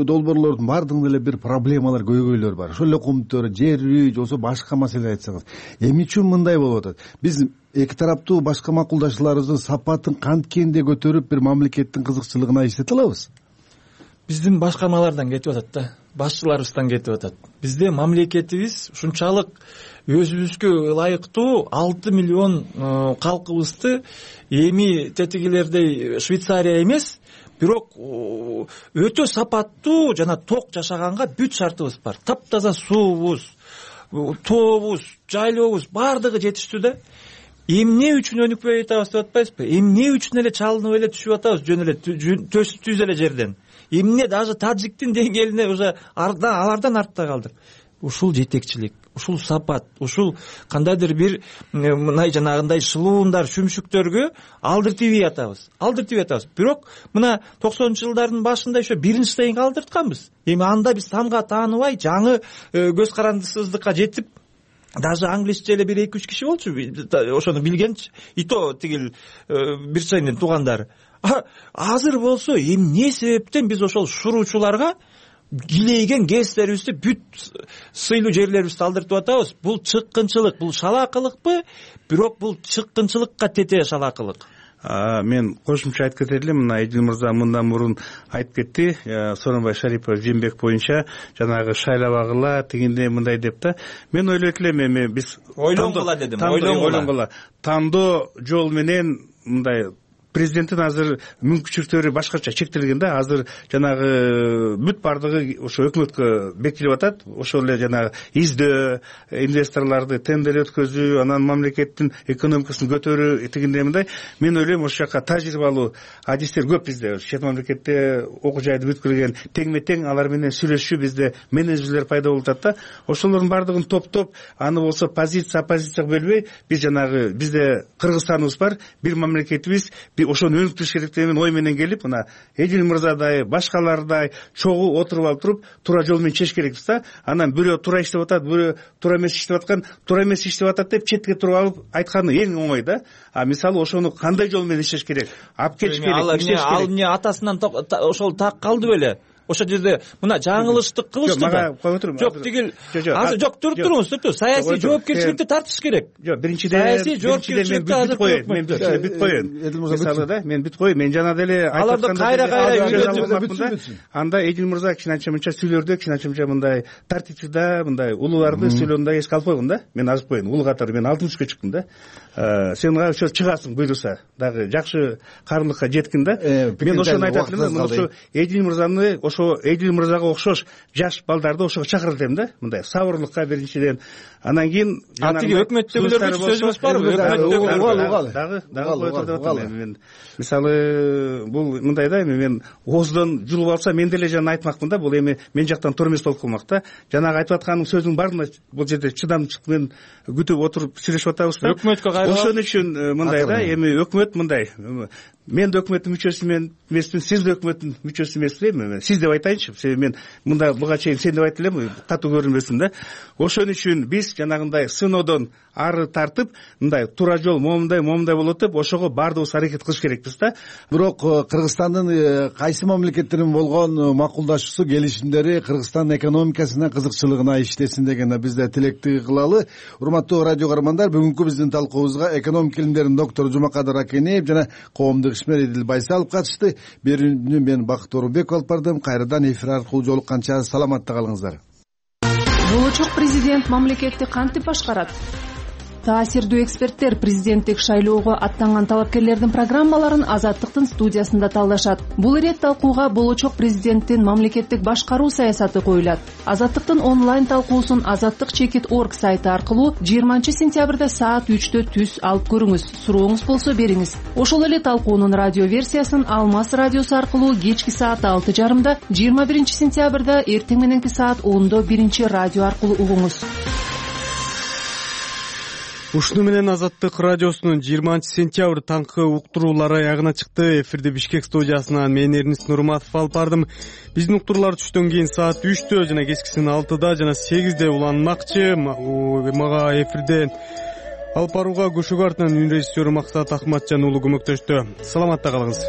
долбоорлордун баардыгында эле бир проблемалар, көйгөйлөр бар. Ошол эле комуттөр, жер үй же болбосо башка маселе айтсаңыз. Эмне үчүн мындай болуп атат? Биз эки тараптуу башка макулдашууларыбыздын сапатын канткенде көтөрүп бир мамлекеттин кызыкчылыгына иштете алабыз? Биздин башкармалардан кетип атат да, башчыларыбыздан кетип атат. Бизде мамлекетибиз ушунчалык өзүбүзгө ылайыктуу алты миллион калкыбызды эми тетигилердей Швейцария эмес, бирок өтө сапаттуу жана ток жашаганга бүт шартыбыз бар. Таптаза суубуз, тообуз, жайлообуз баардыгы жетиштүү да. Эмне үчүн өнүкпөй атабыз деп атпайсызбы? Эмне үчүн эле чалынып эле түшүп атабыз жөн эле түз эле жерден? Эмне даже таджиктин деңгээлине уже алардан артта калдык? Ушул жетекчилик, ушул сапат, ушул кандайдыр бир мындай жанагындай шылуундар, шүмшүктөргө алдыртып атабыз. Алдыртып атабыз. Бирок мына токсонунчу жылдардын башында ошо биринчи стейнге алдыртканбыз. Эми анда биз тамга тааныбай, жаңы көз карандысыздыкка жетип, даже англисче эле бир эки үч киши болчу, ошону билген, и то тигил бир чейдин туугандары. Азыр болсо эмне себептен биз ошол шуруучуларга килейген гэстерибизди бүт сыйлуу жерлерибизди алдыртып атабыз? Бул чыккынчылык, бул шалаакылыкпы? Бирок бул чыккынчылыкка тете шалаакылык. Мен кошумча айтып кетет элем. Мына Эдил мырза мындан мурун айтып кетти. Сооронбай Шарипов Жээнбек боюнча жанагы шайлабагыла тигинде мындай деп да. Мен ойлойт элем, эми биз ойлонгула дедим. Ойлонгула. Тандоо жол менен мындай президенттин азыр мүмкүнчүлүктөрү башкача чектелген да. Азыр жанагы бүт бардыгы ошо өкмөткө бекитилип атат. Ошол эле жанагы издөө, инвесторлорду тендер өткөзүү, анан мамлекеттин экономикасын көтөрүү тигиндей мындай. Мен ойлойм, ошол жака тажрыйбалуу адистер көп бизде. Чет мамлекетте окуу жайды бүткүргөн теңме тең алар менен сүйлөшүү бизде менеджерлер пайда болуп атат да. Ошолордун бардыгын топтоп, аны болсо позиция оппозицияга бөлбөй, биз жанагы бизде Кыргызстаныбыз бар, бир мамлекетибиз, ошону өнүктүрүш керек деген ой менен келип, мына Эдил мырзадай, башкалардай чогуу отуруп алып туруп, туура жол менен чечиш керекпиз да. Анан бирөө туура иштеп атат, бирөө туура эмес иштеп аткан, туура эмес иштеп атат деп четке туруп алып айтканы эң оңой да. А мисалы ошону кандай жол менен иштеш керек? Алып келиш керек, иштеш керек. Ал эмне атасынан ошол так калды беле? Ошол жерде мына жаңылыштык кылышты да. Жок, тигил азыр жок, туруп туруңуз, туруп. Саясий жоопкерчиликти тартыш керек. Жок, биринчиден саясий жоопкерчиликти азыр коёюн. Мен биринчиден бүт коёюн. Мисалы да, мен бүт коёюн. Мен жана деле аларды кайра кайра үйрөтүп, анда Эдил мырза кичине мынча сүйлөрдө, кичине мындай тартипчида, мындай улууларды сүйлөөнүндө эске алып койгон да. Мен азып коеюн. Улуу катары мен алтымышка чыктым да. Сен ошо чыгасың буйруса, дагы жакшы карымдыкка жеткин да. Мен ошону айтат элем, ошо Эдил мырзаны, ошо Эдил мырзага окшош жаш балдарды ошого чакырат элем да. Мындай сабырлыкка биринчиден. Анан кийин тиги өкмөттөгүлөргө сөзүбүз барбы? Өкмөттөгүлөр дагы дагы коюп атам. Мен мисалы бул мындай да, эми мен ооздон жулуп алса мен деле жана айтмакмын да. Бул эми мен жактан туура эмес болуп калмак да. Жанагы айтып атканым сөзүнүн баарына бул жерде чыдамчылык менен күтүп отуруп сүйлөшүп атабыз да. Өкмөткө кайра ошон үчүн мындай да, эми өкмөт мындай мен да өкмөттүн мүчөсү эмесмин, сиз да өкмөттүн мүчөсү эмессизби? Сиз деп айтайынчы, себеби мен мында буга чейин сен деп айтып элем, катуу көрүнбөсүн да. Ошон үчүн биз жанагындай сыноодон ары тартып, мындай туура жол момундай момундай болот деп, ошого баардыгыбыз аракет кылыш керекпиз да. Бирок Кыргызстандын кайсы мамлекеттердин болгон макулдашуусу, келишимдери Кыргызстандын экономикасына, кызыкчылыгына иштесин деген биз да тилекти кылалы. Урматтуу радио көрөрмандар, бүгүнкү биздин талкуубузга экономика илимдеринин доктору Жумакадыр Акенеев жана коомдук ишмер Эдил Байсалов катышты. Берүүнү мен Бакыт Орунбеков алып бардым. Кайрадан эфир аркылуу жолукканча саламатта калыңыздар. Болочок президент мамлекетти кантип башкарат? Таасирдүү эксперттер президенттик шайлоого аттанган талапкерлердин программаларын Азаттыктын студиясында талдашат. Бул ирет талкууга болочок президенттин мамлекеттик башкаруу саясаты коюлат. Азаттыктын онлайн талкуусун азаттык чекит орг сайты аркылуу жыйырманчы сентябрда саат үчтө түз алып көрүңүз. Сурооңуз болсо бериңиз. Ошол эле талкуунун радио версиясын Алмаз радиосу аркылуу кечки саат алты жарымда, жыйырма биринчи сентябрда эртең мененки саат ондо биринчи радио аркылуу угуңуз. Ушуну менен Азаттык радиосунун жыйырманчы сентябрь таңкы уктуруулары аягына чыкты. Эфирде Бишкек студиясынан мен Эрнис Нурматов алып бардым. Биздин уктуруулар түштөн кийин саат үчтө жана кечкисин алтыда жана сегизде уланмакчы. Мага эфирден алып барууга Көшөгө артынан үн режиссеру Максат Акматжан уулу көмөктөштү. Саламатта калыңыз.